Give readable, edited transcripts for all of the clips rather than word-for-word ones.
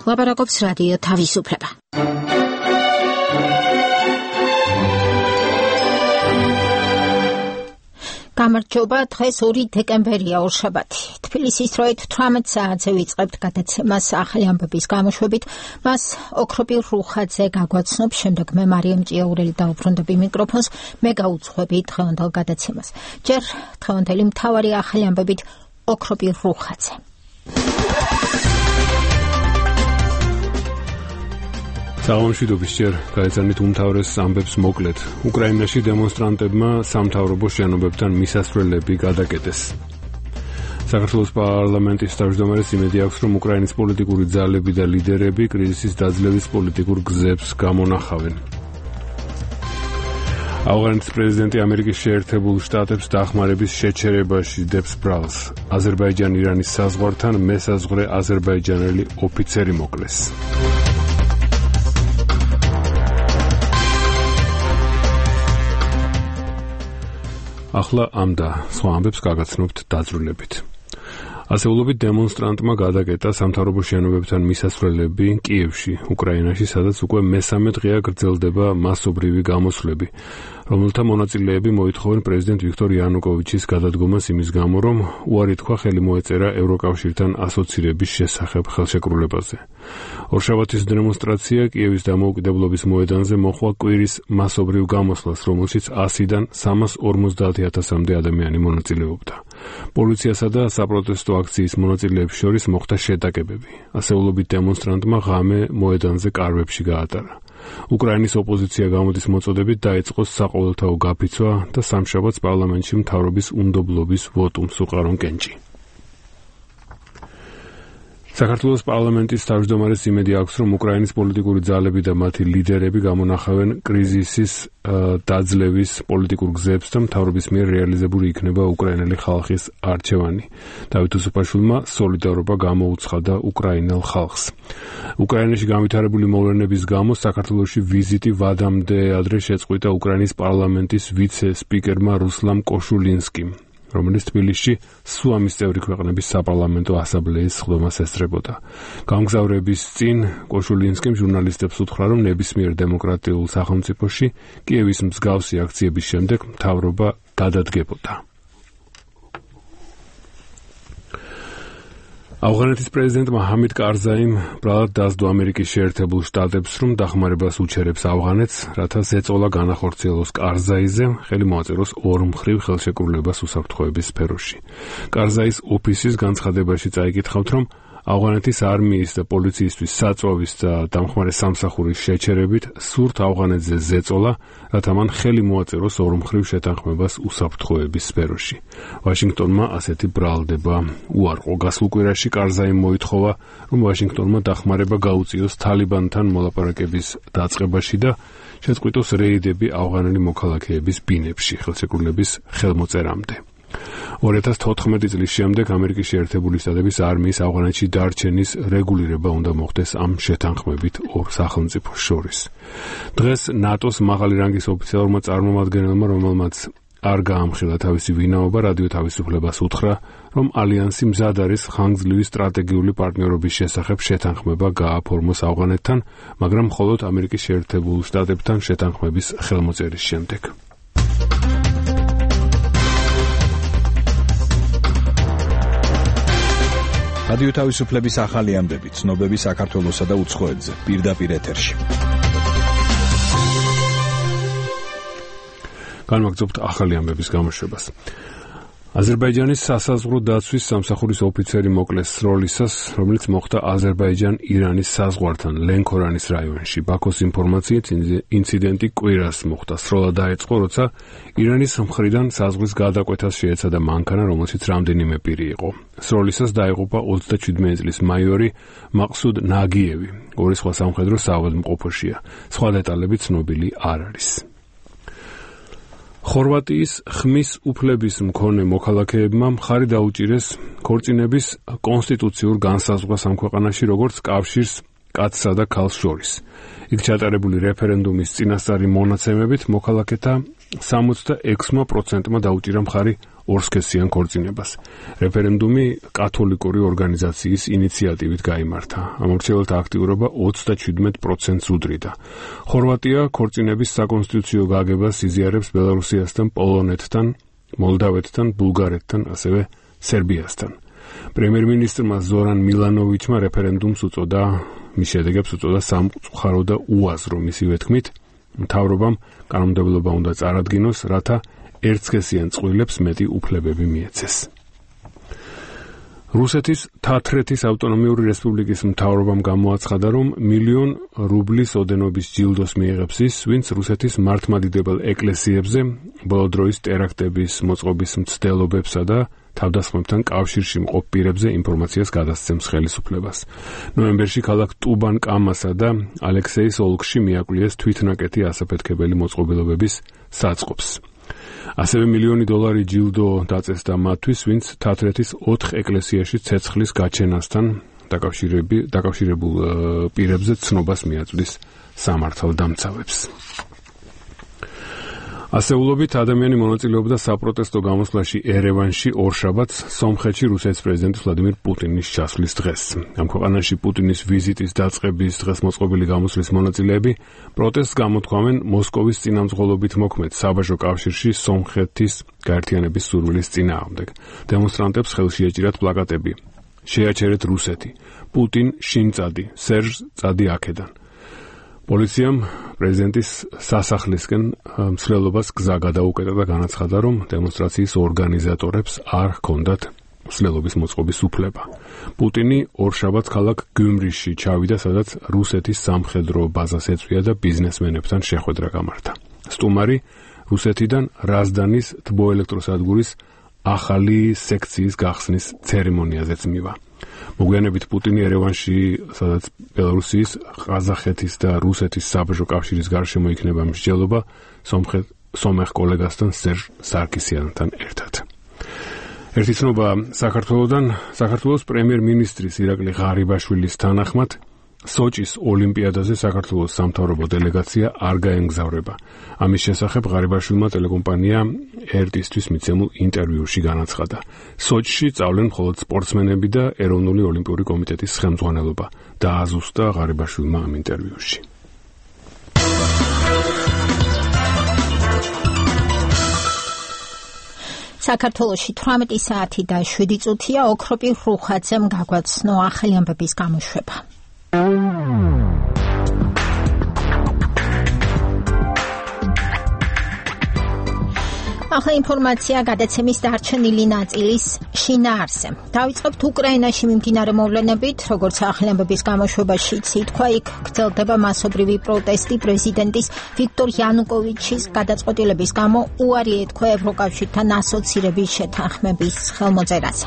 ლაპარაკობს რადიო თავისუფლება. გამარჯობა, დღეს 2 დეკემბერია ორშაბათი. თბილისის დროით 18 საათზე ვიწყებთ გადაცემას ახალი ამბების გამოშვებით. მას ოქროპირ რუხაძე გაგვაცნობს, შემდეგ მე მარიამ ჭიაურელი დავუბრუნდები მიკროფონს, მე გაუძღვები დღევანდელ გადაცემას. ჯერ დღევანდელი მთავარი ახალი ამბებით ოქროპირ რუხაძე. საღამოშვიდობის ჯერ გაეცანით უმთავრეს ამბებს მოკლედ. უკრაინაში დემონსტრანტებმა სამთავრობო შენობებთან მისასვლელები გადაკეტეს. საქართველოს პარლამენტის თავმჯდომარეს იმედი აქვს, რომ უკრაინის პოლიტიკური ძალები და ლიდერები კრიზისის დაძლევის პოლიტიკურ გზებს გამონახავენ. ავღანეთის პრეზიდენტი ამერიკის შეერთებულ შტატებს დახმარების შეჩერებაში დებს ბრალს. აზერბაიჯან-ირანის საზღვართან მესაზღვრე აზერბაიჯანელი ოფიცერი მოკლეს. ახლა ამ და სხვა ამბებს გაგაცნობთ დაძრულებით. ასეულობით დემონსტრანტმა გადაკეტა სამთავრობო შენობებთან მისასვლელები კიევში, უკრაინაში, სადაც უკვე მესამე დღეა გრძელდება მასობრივი გამოსვლები, რომელთა მონაწილეები მოითხოვენ პრეზიდენტ ვიქტორ იანუკოვიჩის გადადგომას იმის გამო, რომ უარი თქვა ხელი მოეწერა ევროკავშირთან ასოცირების შესახებ ხელშეკრულებაზე. ორშაბათის დემონსტრაცია კიევის დამოუკიდებლობის მოედანზე მოჰყვა კვირის მასობრივ გამოსვლას, რომელშიც 100-დან 350,000-მდე ადამიანი მონაწილეობდა. პოლიციასა და საპროტესტო აქციის მონაწილეებს შორის მოხდა შეტაკებები. ასეულობით დემონსტრანტმა ღამე მოედანზე კარვებში გაატარა. უკრაინის ოპოზიცია გამოდის მოწოდებით დაიწყო საყოველთაო გაფიცვა და სამშაბათს პარლამენტში მთავრობის უნდობლობის ვოტუმს უყარონ კენჭი. საქართველოს პარლამენტის თავმჯდომარეს იმედი აქვს, რომ უკრაინის პოლიტიკური ძალები და მათი ლიდერები გამონახავენ კრიზისის დაძლევის პოლიტიკურ გზებს და მთავრობის მიერ რეალიზებული იქნება უკრაინელი ხალხის არჩევანი. დავით უსუფაშვილმა სოლიდარობა გამოუცხადა უკრაინელ ხალხს. უკრაინაში განვითარებული მოვლენების გამო საქართველოში ვიზიტი ვადამდე ადრე შეწყვიტა უკრაინის პარლამენტის ვიცე-სპიკერმა რუსლან კოშულინსკიმ, რომელიც თბილისში სუამის წევრი ქვეყნების საპარლამენტო ასამბლეის სხდომას ესწრებოდა. გამგზავრების წინ კოშულინსკიმ ჟურნალისტებს უთხრა, რომ ნებისმიერ დემოკრატიულ სახელმწიფოში კიევის მსგავსი აქციების შემდეგ მთავრობა გადადგებოდა. ავღანეთის პრეზიდენტმა ჰამიდ კარზაიმ ბრალად დასდო ამერიკის შეერთებულ შტატებს, რომ დახმარებას უჩერებს ავღანეთს, რათა ზეწოლა განახორციელოს კარზაიზე, ხელი მოაწეროს ორმხრივ ხელშეკრულებას უსაფრთხოების სფეროში. კარზაის ოფისის განცხადებაში წაიკითხავთ, რომ ავღანეთის არმიის და პოლიციისთვის საწვავის და დამხმარე სამსახურის შეჩერებით სურთ ავღანეთზე ზეწოლა, რათა მან ხელი მოაწეროს ორმხრივ შეთანხმებას უსაფრთხოების სფეროში. ვაშინგტონმა ასეთი ბრალდება უარყო. გასულ კვირაში კარზაიმ მოითხოვა, რომ ვაშინგტონმა დახმარება გაუწიოს თალიბანთან მოლაპარაკების დაწყებაში და შეწყვიტოს რეიდები ავღანელი მოქალაქეების ბინებში ხელშეკრულების ხელმოწერამდე. 2014 წლის შემდეგ ამერიკის შეერთებული შტატების არმიის ავღანეთში დარჩენის რეგულირება უნდა მოხდეს ამ შეთანხმებით ორ სახელმწიფოს შორის. დღეს ნატოს მაღალი რანგის ოფიციალურმა წარმომადგენელმა, რომელმაც არ გაამხილა თავისი ვინაობა, რადიო თავისუფლებას უთხრა, რომ ალიანსი მზად არის ხანგრძლივი სტრატეგიული პარტნიორობის შესახებ შეთანხმება გააფორმოს ავღანეთთან, მაგრამ მხოლოდ ამერიკის შეერთებულ შტატებთან შეთანხმების ხელმოწერის შემდეგ. რადიო თავისუფლების ახალი ამბები, ცნობები საქართველოსა და უცხოეთზე, პირდაპირ ეთერში. განვაგრძობთ ახალი ამბების გამოშვებას. აზერბაიჯანის სასაზღვრო დაცვის სამსახურის ოფიცერი მოკლეს სროლისას, რომელიც მოხდა აზერბაიჯან-ირანის საზღვართან ლენქორანის რაიონში. ბაქოს ინფორმაციით ინციდენტი კვირას მოხდა. სროლა დაიწყო, როცა ირანის მხრიდან საზღვრის გადაკვეთას შეეცადა მანქანა, რომელშიც რამდენიმე პირი იყო. სროლისას დაიღუპა 37 წლის მაიორი მაყსუდ ნაგიევი. ორი სხვა სამხედრო საავადმყოფოშია. სხვა დეტალები ცნობილი არ არის. ხორვატიის ხმის უფლების მქონე მოქალაქეებმა მხარი დაუჭირეს ქორწინების კონსტიტუციურ განსაზღვრას ამ ქვეყანაში, როგორც კავშირს კაცსა და ქალს შორის. იქ ჩატარებული რეფერენდუმის წინასწარი მონაცემებით მოქალაქეთა 76%-მა დაუჭირა მხარი ორსქესიან ქორწინებას. რეფერენდუმი კათოლიკური ორგანიზაციის ინიციატივით გაიმართა. ამორჩეველთა აქტიურობა 37%-ს უდრიდა. ხორვატია ქორწინების საკონსტიტუციო გაგებას იზიარებს ბელარუსიასთან, პოლონეთთან, მოლდავეთთან, ბულგარეთთან, ასევე სერბიასთან. პრემიერ-მინისტრმა ზორან მილანოვიჩმა რეფერენდუმს უწოდა, მის შედეგებს უწოდა სამწუხარო და უაზრო. მისივე თქმით, მთავრობამ კანონმდებლობა უნდა წარადგინოს, რათა ერთსქესიან წყვილებს მეტი უფლებები მიეცეს. რუსეთის თათრეთის ავტონომიური რესპუბლიკის მთავრობამ გამოაცხადა, რომ 1,000,000 რუბლის ოდენობის ჯილდოს მიიღებს ის, ვინც რუსეთის მართლმადიდებელ ეკლესიებზე ბოლო დროის ტერაქტების მოწყობის მცდელობებსა და თავდასხმებთან კავშირში მყოფ პირებზე ინფორმაციას გადასცემს ხელისუფლებას. ნოემბერში ქალაქ ტუბან-კამასა და ალექსეის ოლქში მიაკვლიეს თვითნაკეთი ასაფეთქებელი მოწყობილობების საწყობს. ასევე $1,000,000 ჯილდო დაწესდა მათთვის, ვინც თათრეთის 4 ეკლესიაში ცეცხლის გაჩენასთან დაკავშირებულ პირებზე ცნობას მიაწვდის სამართალდამცავებს. ასეულობით ადამიანი მონაწილეობდა საპროტესტო გამოსვლაში ერევანში ორშაბათს, სომხეთში რუსეთის პრეზიდენტის ვლადიმირ პუტინის ჩასვლის დღეს. ამ ქვეყანაში პუტინის ვიზიტის დაწყების დღეს მოწყობილი გამოსვლის მონაწილეები პროტესტს გამოთქვამენ მოსკოვის წინამძღოლობით მოქმედ საბაჟო კავშირში სომხეთის გაერთიანების სურვილის წინააღმდეგ. დემონსტრანტებს ხელში ეჭირათ პლაკატები: შეაჩერეთ რუსეთი, პუტინ შინ წადი, სერჟ წადი აქედან. პოლიციამ პრეზიდენტის სასახლისკენ მსვლელობას გზა გადაუკეტა და განაცხადა, რომ დემონსტრაციის ორგანიზატორებს არ ჰქონდათ მსვლელობის მოწყობის უფლება. პუტინი ორშაბათს ქალაქ გიუმრიში ჩავიდა, სადაც რუსეთის სამხედრო ბაზას ეწვია და ბიზნესმენებთან შეხვედრა გამართა. სტუმარი რუსეთიდან რაზდანის თბოელექტროსადგურის ახალი სექციის გახსნის ცერემონიაზეც მივა. მოგვიანებით პუტინი ერევანში, სადაც ბელარუსიის, ყაზახეთის და რუსეთის საბაჟო კავშირის გარშემო იქნება მსჯელობა სომეხ კოლეგასთან სერჟ სარკისიანთან ერთად. ერთი ცნობა საქართველოდან. საქართველოს პრემიერ-მინისტრის ირაკლი ღარიბაშვილის თანახმად სოჭის ოლიმპიადაზე საქართველოს სამთავრობო დელეგაცია არ გაემგზავრება. ამის შესახებ ღარიბაშვილმა ტელეკომპანია RT-ისთვის მიცემულ ინტერვიუში განაცხადა. სოჭში სწავლენ მხოლოდ სპორტსმენები და ეროვნული ოლიმპიური კომიტეტის ხელმძღვანელობა. დააზუსტა ღარიბაშვილმა ამ ინტერვიუში. საქართველოში 18 საათი და 7 წუთია. ოქროპირ რუხაძემ გაგვაცნო ახალი ამბების გამოშვება. ახლა ინფორმაცია გადაცემის დარჩენილი ნაწილის შინაარსზე. დავიწყებთ უკრაინაში მიმდინარე მოვლენებით, როგორც ახალი ამბების გამოშვებაში ითქვა, იქ გრძელდება მასობრივი პროტესტი პრეზიდენტის ვიქტორ იანუკოვიჩის გადაწყვეტილების გამო უარი ეთქვა ევროკავშირთან ასოცირების შეთანხმების ხელმოწერაზე.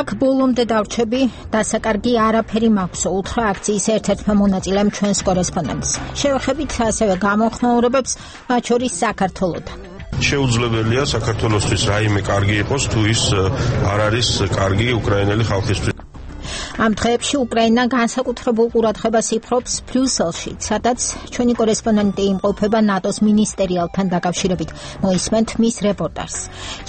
აქ ბოლომდე დავრჩები, დასაკარგი არაფერი მაქვს, უთხრა აქციის ერთ-ერთმა მონაწილემ ჩვენს კორესპონდენტს. შევეხებით ასევე გამოხმაურებებს, მათ შორის საქართველოდან. შეუძლებელია საქართველოსთვის რაიმე კარგი იყოს, თუ ის არ არის კარგი უკრაინელი ხალხისთვის. ამ დღეებში უკრაინა განსაკუთრებულ ყურადღებას იფრობს ბრიუსელში, სადაც ჩვენი კორესპონდენტი იმყოფება ნატოს მინისტერიალთან დაკავშირებით. მოისმენთ მის რეპორტაჟს.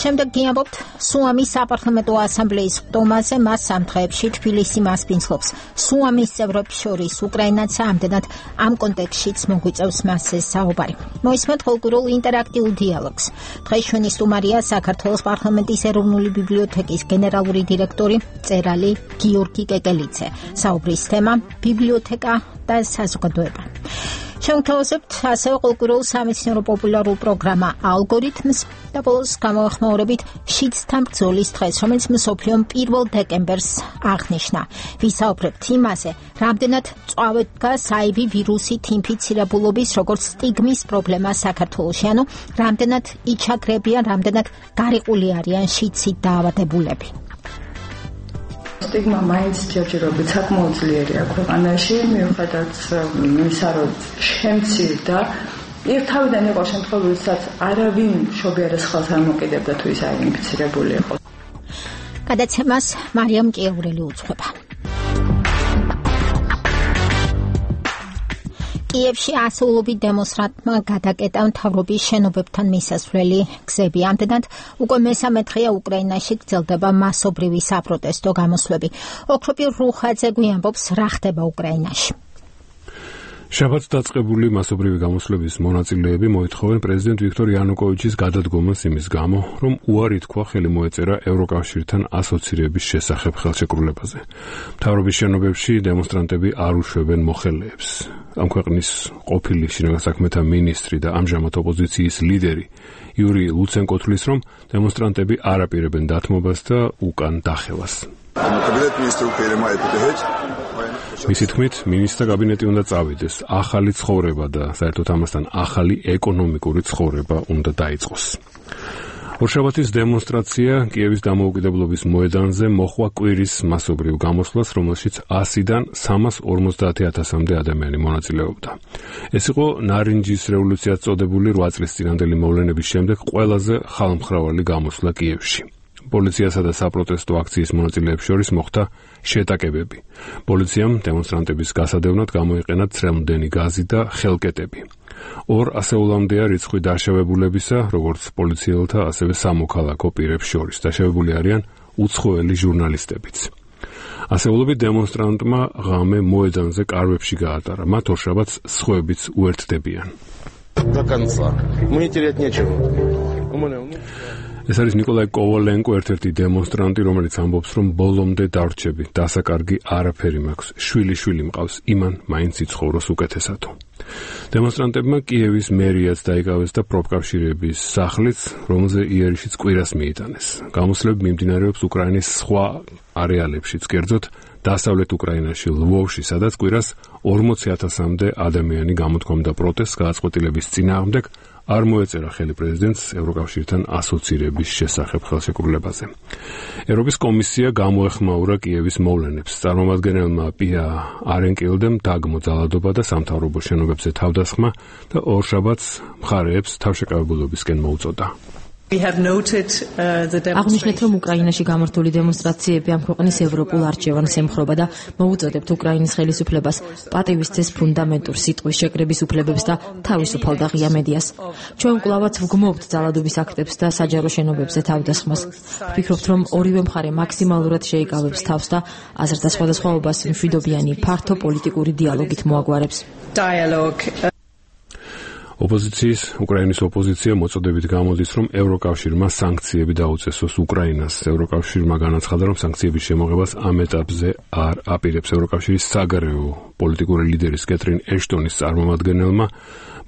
შემდეგ გიამბობთ სუამის საპარლამენტო ასამბლეის ხტომაზე, მას ამ დღეებში თბილისი მასპინძლობს. სუამის წევრებს შორის უკრაინაც ამდენად ამ კონტექსტშიც მოგვიწევს მასზე საუბარი. მოისმენთ კულტურულ ინტერაქტიულ დიალოგს. დღეს ჩვენი სტუმარია საქართველოს პარლამენტის ეროვნული ბიბლიოთეკის გენერალური დირექტორი მწერალი გიორგი კეკელიძე. საუბრის თემა ბიბლიოთეკა და საზოგადოება. შევთავაზებთ ასევე კულტურულ სამეცნიერო პოპულარულ პროგრამა ალგორითმს და ბოლოს გამოახმაურებით შიდსთან ბრძოლის დღეს, რომელიც მსოფლიომ 1 დეკემბერს აღნიშნა. ვისაუბრებთ იმაზე, რამდენად წვავედგა საივი ვირუსით ინფიცირებულობის როგორც სტიგმის პრობლემა საქართველოში, ანუ რამდენად იჩაგრებიან, რამდენად გარიყული არიან შიდსით დაავადებულები. სტიგმა მაინც ჯერჯერობით საკმაოდ ძლიერია ქვეყანაში, მიუხედავად იმისა, რომ შემცირდა. თავიდან იყო შემთხვევები, როდესაც არავინ მშობიარეს ხელს არ მოკიდებდა თუ ის არ ინფიცირებული იყო. გადაცემას მარიამ კიეურელი უძღვება. კიევში ასეულობით დემონსტრანტმა გადაკეტა მთავრობის შენობებთან მისასვლელი გზები. ამდენად უკვე მესამე დღეა უკრაინაში გრძელდება მასობრივი საპროტესტო გამოსვლები. ოქროპირ რუხაძე გვიამბობს, რა ხდება უკრაინაში. შაბათს დაწყებული მასობრივი გამოსვლების მონაწილეები მოითხოვენ პრეზიდენტ ვიქტორ იანუკოვიჩის გადადგომას იმის გამო, რომ უარი თქვა ხელი მოეწერა ევროკავშირთან ასოცირების შესახებ ხელშეკრულებაზე. მთავრობის შენობებში დემონსტრანტები არ უშვებენ მოხელეებს. ამ ქვეყნის ყოფილი შინაგან საქმეთა მინისტრი და ამჟამად ოპოზიციის ლიდერი იური ლუცენკო თვლის, რომ დემონსტრანტები არ აპირებენ დათმობას და უკან დახევას. მისი თქმით, მინისტრთა კაბინეტი უნდა წავიდეს, ახალი ცხოვრება და საერთოდ ამასთან ახალი ეკონომიკური ცხოვრება უნდა დაიწყოს. ორშაბათის დემონსტრაცია კიევის დამოუკიდებლობის მოედანზე მოჰყვა კვირის მასობრივ გამოსვლას, რომელშიც 100-დან 350,000-მდე ადამიანი მონაწილეობდა. ეს იყო ნარინჯის რევოლუციად წოდებული 8 წლის წინანდელი მოვლენების შემდეგ ყველაზე ხალხმრავალი გამოსვლა კიევში. პოლიციასა და საპროტესტო აქციის მონაწილეებს შორის მოხდა შეტაკებები. პოლიციამ დემონსტრანტების გასადევნად გამოიყენა ცრემლდენი გაზი და ხელკეტები. 2 ასეულამდეა რიცხვი დაშავებულებისა, როგორც პოლიციელთა, ასევე სამოქალაქო პირებს შორის. დაშავებული არიან უცხოელი ჟურნალისტებიც. ასეულობით დემონსტრანტმა ღამე მოედანზე კარვებში გაატარა. მათ ორშაბათს სხვაებიც უერთდებიან. ეს არის ნიკოლაი კოვალენკო, ერთ-ერთი დემონსტრანტი, რომელიც ამბობს, რომ ბოლომდე დარჩები, დასაკარგი არაფერი მაქვს, შვილი მყავს, იმან მაინც იცხოვროს უკეთესათო. დემონსტრანტებმა კიევის მერიაც დაიკავეს და პროფკავშირების სახლიც, რომელზე იერიშიც კვირას მიიტანეს. გამოსვლები მიმდინარეობს უკრაინის სხვა არეალებშიც, კერძოდ დასავლეთ უკრაინაში, ლვოვში, სადაც კვირას 40,000-მდე ადამიანი გამოთქვამდა პროტესტს გადაწყვეტილების წინააღმდეგ, არ მოეწერა ხელი პრეზიდენტს ევროკავშირთან ასოცირების შესახებ ხელშეკრულებაზე. ევროპის კომისია გამოეხმაურა კიევის მოვლენებს. წარმომადგენელმა პია არენკილდემ დაგმო ძალადობა და სამთავრობო შენობებზე თავდასხმა და ორშაბათს მხარეებს თავშეკავებულობისკენ მოუწოდა. აღნიშნეთ, რომ უკრაინაში გამართული დემონსტრაციები ამ ქვეყნის ევროპულ არჩევანს ემხრობა და მოუწოდებთ უკრაინის ხელისუფლებას პატივისცეს ფუნდამენტურ სიტყვის შეკრების უფლებებს და თავისუფალ და ღია მედიას. ჩვენ კვლავაც ვგმობთ ძალადობის აქტებს და საჯარო შენობებზე თავდასხმას. ვფიქრობთ, რომ ორივე მხარე მაქსიმალურად შეიკავებს თავს და აზრთა სხვადასხვაობას მშვიდობიანი ფართო პოლიტიკური დიალოგით მოაგვარებს. უკრაინის ოპოზიცია მოწოდებით გამოდის, რომ ევროკავშირმა სანქციები დაუწესოს უკრაინას. ევროკავშირმა განაცხადა, რომ სანქციების შემოღებას ამ ეტაპზე არ აპირებს. ევროკავშირის საგარეო პოლიტიკური ლიდერის კეტრინ ეშტონის წარმომადგენელმა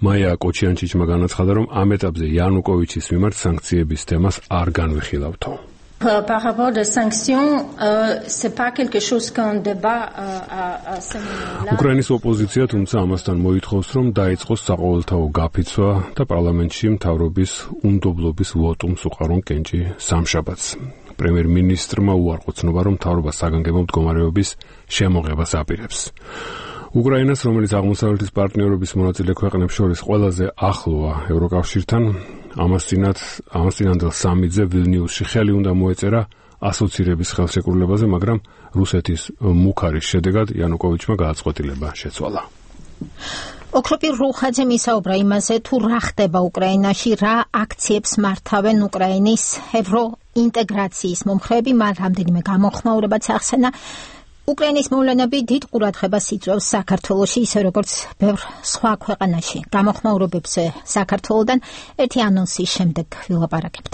მაია კოჩიანჩიჩმა განაცხადა, რომ ამ ეტაპზე იანუკოვიჩის მიმართ სანქციების თემას არ განვიხილავთო. Par rapport aux sanctions, c'est pas quelque chose qu'on débat à ce moment-là. უკრაინის ოპოზიცია თუმცა ამასთან მოითხოვს, რომ დაიწყოს საყოველთაო გაფიცვა და პარლამენტში მთავრობის უნდობლობის ვოტუმს უყარონ კენჭი სამშაბათს. პრემიერ-მინისტრმა უარყო ცნობა, რომ მთავრობა საგანგებო მდგომარეობის შემოღებას აპირებს. უკრაინას, რომელიც აღმოსავლეთის პარტნიორობის მონაწილე ქვეყნებს შორის ყველაზე ახლოა ევროკავშირთან, ამას წინანდელ სამიძე ვილნიუსში ხელი უნდა მოეწერა ასოცირების ხელშეკრულებაზე, მაგრამ რუსეთის მუქარის შედეგად იანუკოვიჩმა გადაწყვეტილება შეცვალა. ოქროპირ რუხაძემ ისაუბრა იმაზე, თუ რა ხდება უკრაინაში, რა აქციებს მართავენ უკრაინის ევროინტეგრაციის მომხრეები, მათ რამდენიმე გამოხმაურებაც ახსენა. უკრაინის მოვლენები დიდ ყურადღებას იწვევს საქართველოში, ისე როგორც ბევრ სხვა ქვეყანაში. გამოხმაურებებზე საქართველოდან ერთი ანონსის შემდეგ ვილაპარაკებთ.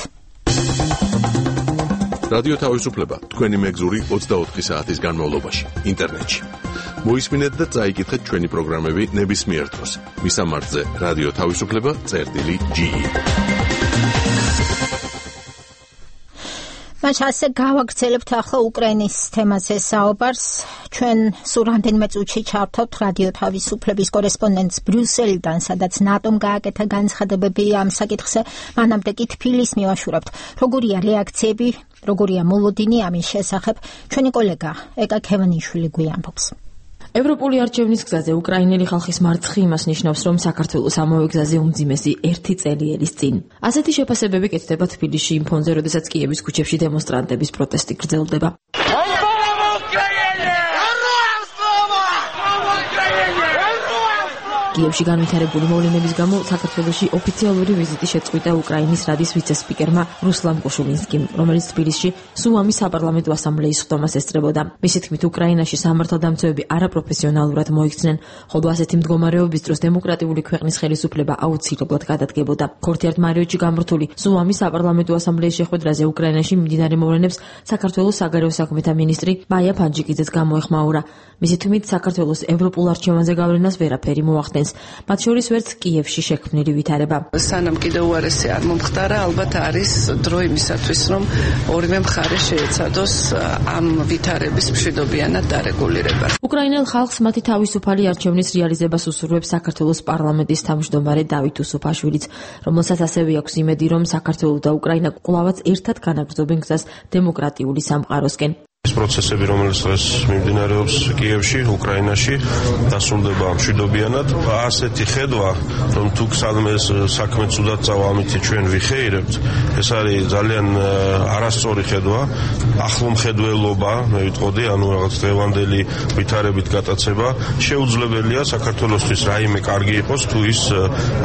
რადიო თავისუფლება, თქვენი მეგზური 24 საათის განმავლობაში, ინტერნეტში. მოისმინეთ და წაიკითხეთ ჩვენი პროგრამები ნებისმიერ დროს. მისამართზე რადიო თავისუფლება.ge. მას ასე გავაგრძელებთ ახლა უკრაინის თემაზე საუბარს. ჩვენ სულ რამდენიმე წუთში ჩავთავთ რადიო თავისუფლების კორესპონდენტს ბრიუსელიდან, სადაც ნატომ გააკეთა განცხადებები ამ საკითხზე. მანამდე კი თბილისს მივაშურებთ. როგორია რეაქციები, როგორია მოლოდინი ამის შესახებ, ჩვენი კოლეგა ეკა ქევანიშვილი გვიამბობს. ევროპული არჩევნის გზაზე უკრაინელი ხალხის მარცხი იმას ნიშნავს, რომ საქართველოს ამავე გზაზე უმძიმესი 1 წელი ელის წინ. ასეთი შეფასებები კეთდება თბილისში იმ ფონზე, როდესაც კიევის ქუჩებში დემონსტრანტების პროტესტი გრძელდება. კიევში განვითარებული მოვლენების გამო საქართველოში ოფიციალური ვიზიტი შეწყვიტა უკრაინის რადის ვიცე-სპიკერმა რუსლან კუშულინსკიმ, რომელიც თბილისში სუამის საპარლამენტო ასამბლეის ხდომას ესწრებოდა. მისი თქმით, უკრაინაში სამართალდამცავები არაპროფესიონალურად მოიქცნენ, ხოლო ასეთი მდგომარეობის დროს დემოკრატიული ქვეყნის ხელისუფლება აუცილებლად გადადგებოდა. ქორთიართ მარიოჩი გამართული სუამის საპარლამენტო ასამბლეის შეხვედრაზე უკრაინაში მიმდინარე მოვლენებს საქართველოს საგარეო საქმეთა მინისტრი მაია ფანჯიკიძეც გამოეხმაურა. მისი თქმით, საქართველოს ევროპულ არჩევანზე გავლენას ვერაფერი მოახდენს. მათ შორის ვერც კიევში შექმნილი ვითარება. სანამ კიდევ უარესი არ მომხდარა, ალბათ არის დრო იმისათვის, რომ ორივე მხარე შეეცადოს ამ ვითარების მშვიდობიანად დარეგულირება. უკრაინელ ხალხს მათი თავისუფალი არჩევნის რეალიზებას უსურვებს საქართველოს პარლამენტის თავმჯდომარე დავით უსუფაშვილიც, რომელსაც ასევე აქვს იმედი, რომ საქართველო და უკრაინა კვლავაც ერთად განაგრძობენ გზას დემოკრატიული სამყაროსკენ. ეს პროცესები, რომელიც დღეს მიმდინარეობს კიევში, უკრაინაში, დასრულდება მშვიდობიანად. ასეთი ხედვა, რომ თუ სადმე საქმე ცუდად წავა, ამით ჩვენ ვიხეირებთ, ეს არის ძალიან არასწორი ხედვა, ახლომხედველობა, მე ვიტყოდი, ანუ რაღაც დღევანდელი ვითარებით გატაცება. შეუძლებელია საქართველოსთვის რაიმე კარგი იყოს, თუ ის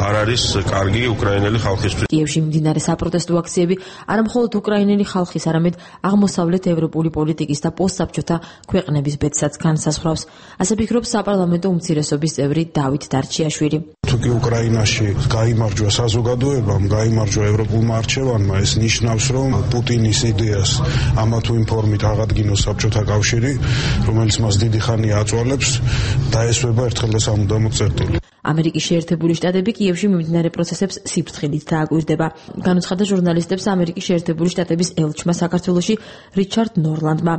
არ არის კარგი უკრაინელი ხალხისთვის. კიევში მიმდინარე საპროტესტო აქციები არა მხოლოდ უკრაინელი ხალხის, არამედ აღმოსავლეთ ევროპული პოლიტიკის და პოსტსაბჭოთა ქვეყნების ბედსაც განსაზღვრავს. ასე ფიქრობს საპარლამენტო უმცირესობის წევრი დავით დარჩიაშვილი. თუ კი უკრაინაში გაიმარჯვა საზოგადოებამ, გაიმარჯვა ევროპულმა არჩევანმა, ეს ნიშნავს, რომ პუტინის იდეას ამა თუ იმ ფორმით აღადგინოს საბჭოთა კავშირი, რომელიც მას დიდი ხანია აწვალებს, დაესვება ერთხელ და სამუდამოდ წერტილი. ამერიკის შეერთებული შტატები კიევში მიმდინარე პროცესებს სიფრთხილით დააკვირდება. განუცხადა ჟურნალისტებს ამერიკის შეერთებული შტატების ელჩმა საქართველოში რიჩარდ ნორლანდმა.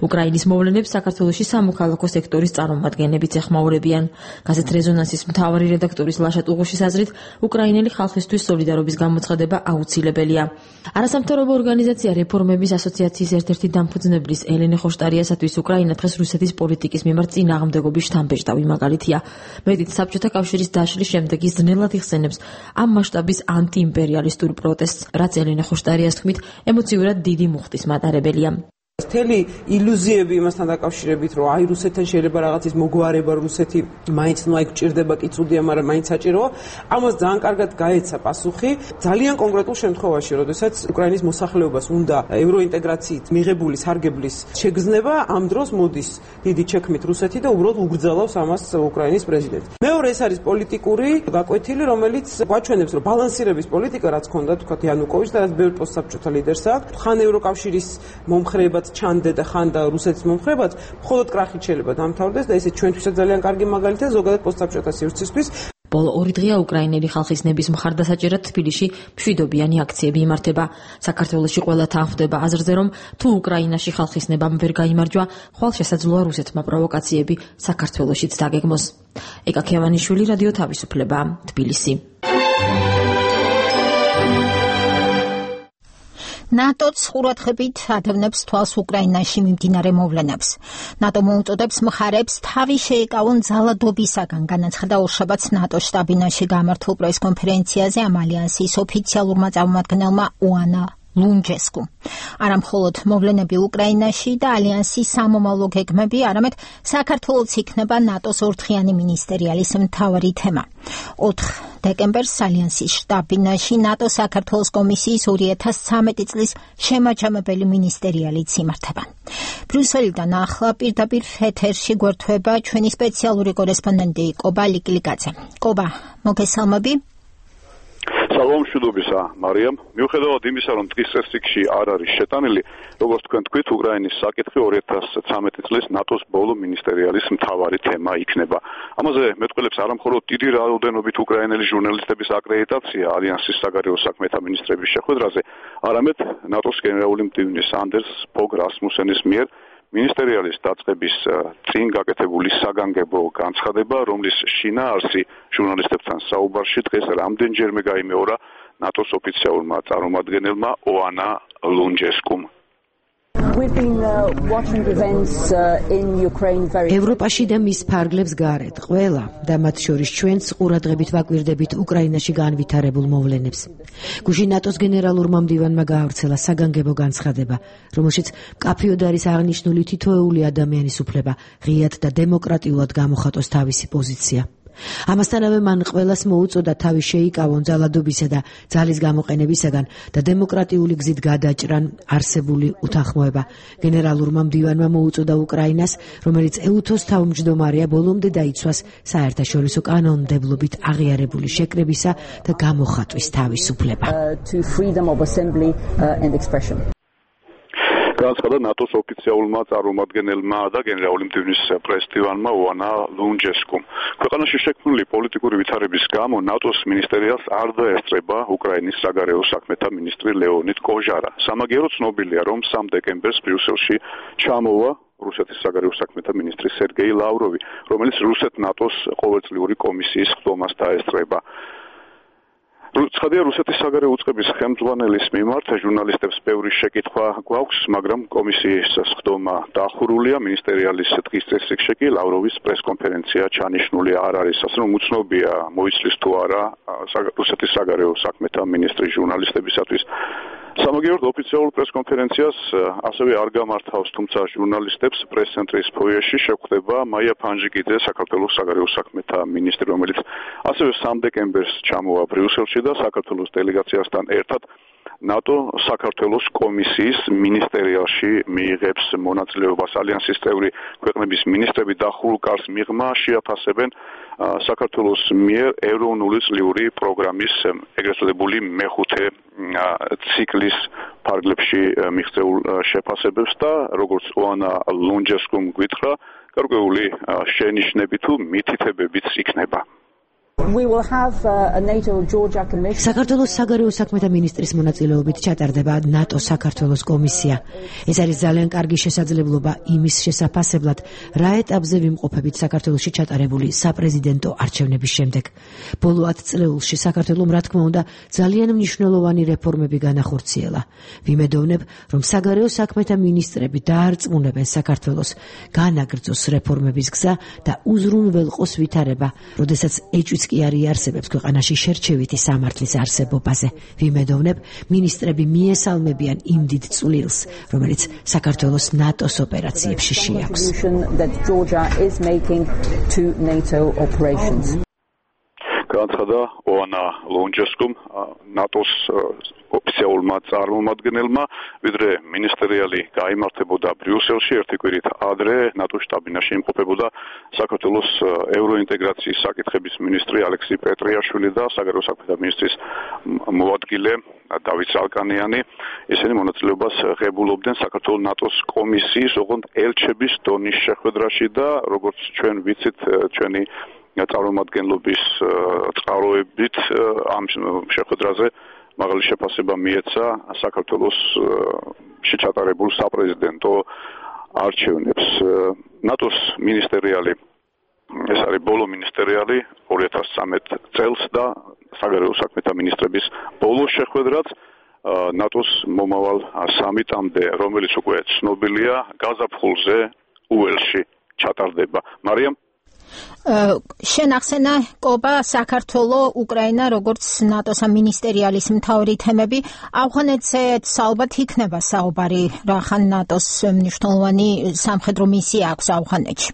უკრაინის მოვლენებს საქართველოში სამოქალაქო სექტორის წარმომადგენლებიც ეხმაურებიან. გაზეთ რეზონანსის მთავარი რედაქტორის ლაშა ტუღუშის აზრით, უკრაინელი ხალხისთვის სოლიდარობის გამოცხადება აუცილებელია. არასამთავრობო ორგანიზაცია რეფორმების ასოციაციის ერთ-ერთი დამფუძნებლის ელენე ხოშტარიასათვის უკრაინა დღეს რუსეთის პოლიტიკის მიმართ წინააღმდეგობის შთამბეჭდავი მაგალითია. მეტიც საბჭოთა კავშირის დაშლის შემდეგ ის ძნელად იხსენებს ამ მასშტაბის ანტიიმპერიალისტურ პროტესტს, რაც ელენე ხოშტარიას თქმით ემოციურად დიდი მუხტის მატარებელია. მთელი ილუზიები იმასთან დაკავშირებით, რომ აი რუსეთთან შეიძლება რაღაცის მოგვარება, რუსეთი მაინც ნუ აი გჭირდება კი წუდია, მაგრამ მაინც საჭიროა. ამას ძალიან კარგად გაეცა პასუხი ძალიან კონკრეტულ შემთხვევაში, როდესაც უკრაინის მოსახლეობას უნდა ევროინტეგრაციით მიღებული სარგებლის შეგრძნება, ამ დროს მოდის დიდი ჩექმით რუსეთი და უბრალოდ უგრძელავს ამას უკრაინის პრეზიდენტი. მეორე ეს არის პოლიტიკური გაკვეთილი, რომელიც გვაჩვენებს, რომ ბალანსირების პოლიტიკა რაც ჰქონდა თქვათ იანუკოვიჩს და რაც ბევრ პოსტსაბჭოთა ლიდერს აქვს, ხან ევროკავშირის მომხრეებად ჩანდე და ხან და რუსეთის მომხრეებად, მხოლოდ კრახით შეიძლება დამთავრდეს და ესე ჩვენთვისაც ძალიან კარგი მაგალითია ზოგადად პოსტსაბჭოთა სივრცისთვის. ბოლო 2 დღეა უკრაინელი ხალხის ნების მხარდასაჭერად თბილისში მშვიდობიანი აქციები იმართება. საქართველოში ყველა თანხმდება აზრზე, რომ თუ უკრაინაში ხალხის ნებამ ვერ გაიმარჯვა, ხვალ შესაძლოა რუსეთმა პროვოკაციები საქართველოშიც დაგეგმოს. ეკა ქევანიშვილი, რადიო თავისუფლება, თბილისი. ნატოც ყურადღებით ადევნებს თვალს უკრაინაში მიმდინარე მოვლენებს. ნატო მოუწოდებს მხარებს თავი შეეკავონ ძალადობისაგან, განაცხადა ორშაბათს ნატოს შტაბ-ბინაში გამართულ პრესკონფერენციაზე ამ ალიანსის ოფიციალურმა წარმომადგენელმა ოანა ლუნჯესკუ. არა მხოლოდ მოვლენები უკრაინაში და ალიანსის სამომავლო გეგმები, არამედ საქართველოც იქნება ნატოს ორთხიანი მინისტერიალის მთავარი თემა. 4 დეკემბერს ალიანსის შტაბ-ბინაში ნატო საქართველოს კომისიის 2013 წლის შემაჯამებელი მინისტერიალიც იმართება. ბრიუსელიდან ახლა პირდაპირ ეთერში გვერდება ჩვენი სპეციალური კორესპონდენტი კობა ლიკლიკაძე. კობა, მოგესალმები. სალამ მშვიდობისა, მარიამ. მიუხედავად იმისა, რომ დღის წესრიგში არ არის შეტანილი, როგორც თქვენ თქვით, უკრაინის საკითხი 2013 წლის ნატოს ბოლო მინისტერიალის მთავარი თემა იქნება. ამაზე მეტყველებს არა მხოლოდ დიდი რაოდენობით უკრაინელი ჟურნალისტების აკრედიტაცია ალიანსის საგარეო საქმეთა მინისტრების შეხვედრაზე, არამედ ნატოს გენერალური მდივნის ანდერს ფოგ რასმუსენის მიერ მინისტერიალის დაწყების წინ გაკეთებული საგანგებო განცხადება, რომლის შინაარსი ჟურნალისტებთან საუბარში დღეს რამდენჯერმე გაიმეორა ნატოს ოფიციალურმა წარმომადგენელმა ოანა ლუნჯესკუმ. ევროპაში და მის ფარგლებს გარეთ ყველა და მათ შორის ჩვენც ყურადღებით ვაკვირდებით უკრაინაში განვითარებულ მოვლენებს. გუშინ ნატოს გენერალურმა მდივანმა გაავრცელა საგანგებო განცხადება, რომელშიც მკაფიოდ არის აღნიშნული თითოეული ადამიანის უფლება ღიად და დემოკრატიულად გამოხატოს თავისი პოზიცია. ამასთანავე მან ყველას მოუწოდა თავი შეიკავონ ძალადობისა და ძალის გამოყენებისაგან და დემოკრატიული გზით გადაჭრან არსებული უთანხმოება. გენერალურმა მდივანმა მოუწოდა უკრაინას, რომელიც EUTO-ს თავმჯდომარეა, ბოლომდე დაიცვას საერთაშორისო კანონმდებლობით აღიარებული შეკრებისა და გამოხატვის თავისუფლება. განაცხადა ნატოს ოფიციალურმა წარმომადგენელმა და გენერალური მდივნის პრეზიდენტმა ოანა ლუნჯესკუმ. ქვეყანაში შექმნილი პოლიტიკური ვითარების გამო ნატოს მინისტერიას არ დაესწრება უკრაინის საგარეო საქმეთა მინისტრი ლეონიდ კოჟარა. სამაგიეროდ ცნობილია, რომ 3 დეკემბერს ბრიუსელში ჩამოვა რუსეთის საგარეო საქმეთა მინისტრი სერგეი ლავროვი, რომელიც რუსეთ-ნატოს ყოველწლიური კომისიის ხდომას დაესწრება. ცხადია, რუსეთის საგარეო უწყების ხელმძღვანელის მიმართ ჟურნალისტებს ბევრი შეკითხვა გვაქვს, მაგრამ კომისიის ხდომა დახურულია. მინისტერიალის დღის წესრიგში კი ლავროვის პრესკონფერენცია ჩანიშნული არ არის. ასე რომ უცნობია, მოიცლის თუ არა რუსეთის საგარეო საქმეთა მინისტრი ჟურნალისტებისათვის. სამაგიეროდ ოფიციალურ პრესკონფერენციას ასევე არ გამართავს, თუმცა ჟურნალისტებს პრეს-ცენტრის ფოიეში შეხვდება მაია ფანჯიკიძე, საქართველოს საგარეო საქმეთა მინისტრი, რომელიც ასევე 3 დეკემბერს ჩამოვა ბრიუსელში და საქართველოს დელეგაციასთან ერთად ნატო საქართველოს კომისიის მინისტერიალში მიიღებს მონაწილეობას. ალიანსის წევრი ქვეყნების მინისტრები დახურულ კარს მიღმა შეაფასებენ საქართველოს მიერ ეროვნული წლიური პროგრამის ეგრეთ წოდებული მეხუთე ციკლის ფარგლებში მიღწეულ შეფასებებს და როგორც ოანა ლუნჯესკუმ გვითხრა, გარკვეული შენიშვნები თუ მითითებებიც იქნება. საქართველოს საგარეო საქმეთა მინისტრის მონაწილეობით ჩატარდება ნატო საქართველოს კომისია. ეს არის ძალიან კარგი შესაძლებლობა იმის შესაფასებლად, რა ეტაპზე ვიმყოფებით საქართველოში ჩატარებული საპრეზიდენტო არჩევნების შემდეგ. ბოლო 10 წლეულში საქართველომ, რა თქმა უნდა, ძალიან მნიშვნელოვანი რეფორმები განახორციელა. ვიმედოვნებ, რომ საგარეო საქმეთა მინისტრები დაარწმუნებენ საქართველოს, განაგრძოს რეფორმების გზა და უზრუნველყოს ვითარება, როდესაც ეჭვიც კი არ იარსებებს ქვეყანაში შერჩევითი სამართლის არსებობაზე. ვიმედოვნებ, მინისტრები მიესალმებიან იმ დიდ წვლილს, რომელიც საქართველოს ნატოს ოპერაციებში შეაქვს. განაცხადა ოანა ლუნჯესკუმ, ნატოს ოფიციალურმა წარმომადგენელმა, ვიდრე მინისტერიალი გაიმართებოდა ბრიუსელში, ერთი კვირით ადრე ნატოს შტაბ-ბინაში იმყოფებოდა საქართველოს ევროინტეგრაციის საკითხების მინისტრი ალექსი პეტრიაშვილი და საგარეო საქმეთა მინისტრის მოადგილე დავით ზალკანიანი. ისინი მონაწილეობას ღებულობდნენ საქართველოს ნატოს კომისიის, ოღონდ ელჩების დონის შეხვედრაში და როგორც ჩვენ ვიცით, ჩვენი წარმომადგენლობის წყაროებით ამ შეხვედრაზე მაღალი შეფასება მიეცა საქართველოს შეჩატარებულ საპრეზიდენტო არჩევნებს. ნატოს მინისტერიალი, ეს არის ბოლო მინისტერიალი 2013 წელს და საგარეო საქმეთა მინისტრების ბოლო შეხვედრაც ნატოს მომავალ სამიტამდე, რომელიც უკვე ცნობილია, გაზაფხულზე უელში ჩატარდება. მარიამ, შენ ახსენა კობა, საქართველოს, უკრაინა, როგორც ნატოს მინისტერიალის მთავარი თემები. ავღანეთზე ალბათ იქნება საუბარი, რახან ნატოს მნიშვნელოვანი სამხედრო მისია აქვს ავღანეთში.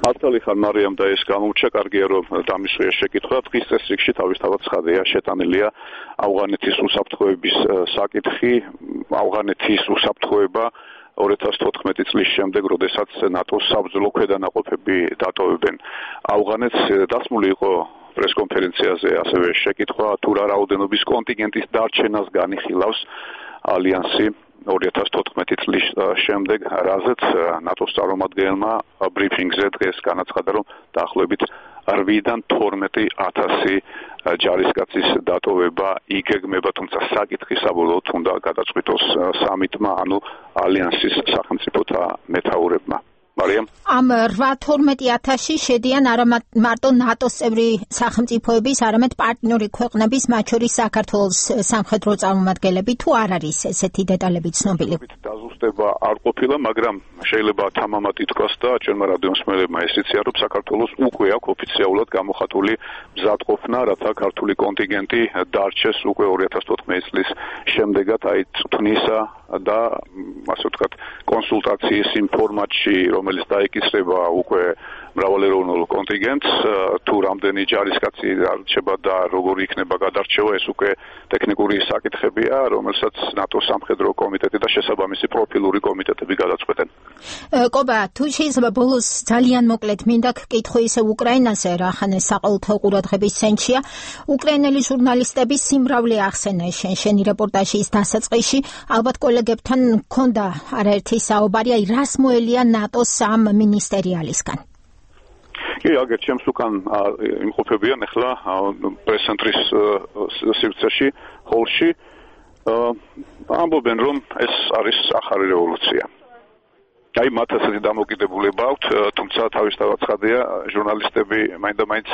მართალი ხარ მარიამ და ეს გამოუჩა, კარგია რომ დამისვია შეკითხვა. დღის წესრიგში თავისთავად ცხადია შეტანილია ავღანეთის უსაფრთხოების საკითხი, ავღანეთის უსაფრთხოება 2014 წლის შემდეგ, როდესაც ნატოს საბრძოლო ქვედანაყოფები დატოვებენ ავღანეთს. დასმული იყო პრესკონფერენციაზე ასევე შეკითხვა, თუ რა რაოდენობის კონტინგენტის დარჩენას განიხილავს ალიანსი 2014 წლის შემდეგ, რაზეც ნატოს წარმომადგენელმა ბრიფინგზე დღეს განაცხადა, რომ დაახლოებით 8-დან 12,000 ჯარისკაცის დატოვება იგეგმება, თუმცა საკითხი საბოლოოდ უნდა გადაწყვიტოს სამიტმა, ანუ ალიანსის სახელმწიფოთა მეთაურებმა. მარიამ, ამ 8-12,000-ში შედიან არა მარტო ნატოს წევრი სახელმწიფოების, არამედ პარტნიორი ქვეყნების, მათ შორის საქართველოს სამხედრო წარმომადგენლები, თუ არ არის ესეთი დეტალები ცნობილი? დაზუსტება არ ყოფილა, მაგრამ შეიძლება თამამად ითქვას და ჩვენმა რადიომსმენელებმა ეს იციან, რომ საქართველოს უკვე აქვს ოფიციალურად გამოხატული მზადყოფნა, რათა ქართული კონტინგენტი დარჩეს უკვე 2014 წლის შემდეგაც, აი წვნისა და ასე ვთქვათ, კონსულტაციის იმ ფორმატში, რომელიც დაიკისრება უკვე მრავალეროვნულ კონტინგენტს, თუ რამდენი ჯარისკაცი არჩება და როგორი იქნება გადარჩევა, ეს უკვე ტექნიკური საკითხებია, რომელსაც ნატოს სამხედრო კომიტეტი და შესაბამისი პროფილური კომიტეტები გადაწყვეტენ. კობა, თუ შეიძლება ბოლოს ძალიან მოკლედ მინდა გკითხო ისე უკრაინაზე, რახანე საყოველთაო ყურადღების ცენტრია. უკრაინელი ჟურნალისტები სიმრავლე ახსენა შენი რეპორტაჟის დასაწყისში. ალბათ კოლეგებთან მქონდა არაერთი საუბარი, აი რას მოელია ნატოს ამ მინისტერიალისგან. კი, აგერ ჩემს უკან იმყოფებიან ახლა პრეს-ცენტრის სივრცეში, ჰოლში. ამბობენ, რომ ეს არის ახალი რევოლუცია. აი მათ ასეთი დამოკიდებულება აქვთ, თუმცა თავისთავად ცხადია, ჟურნალისტები მაინდა-მაინც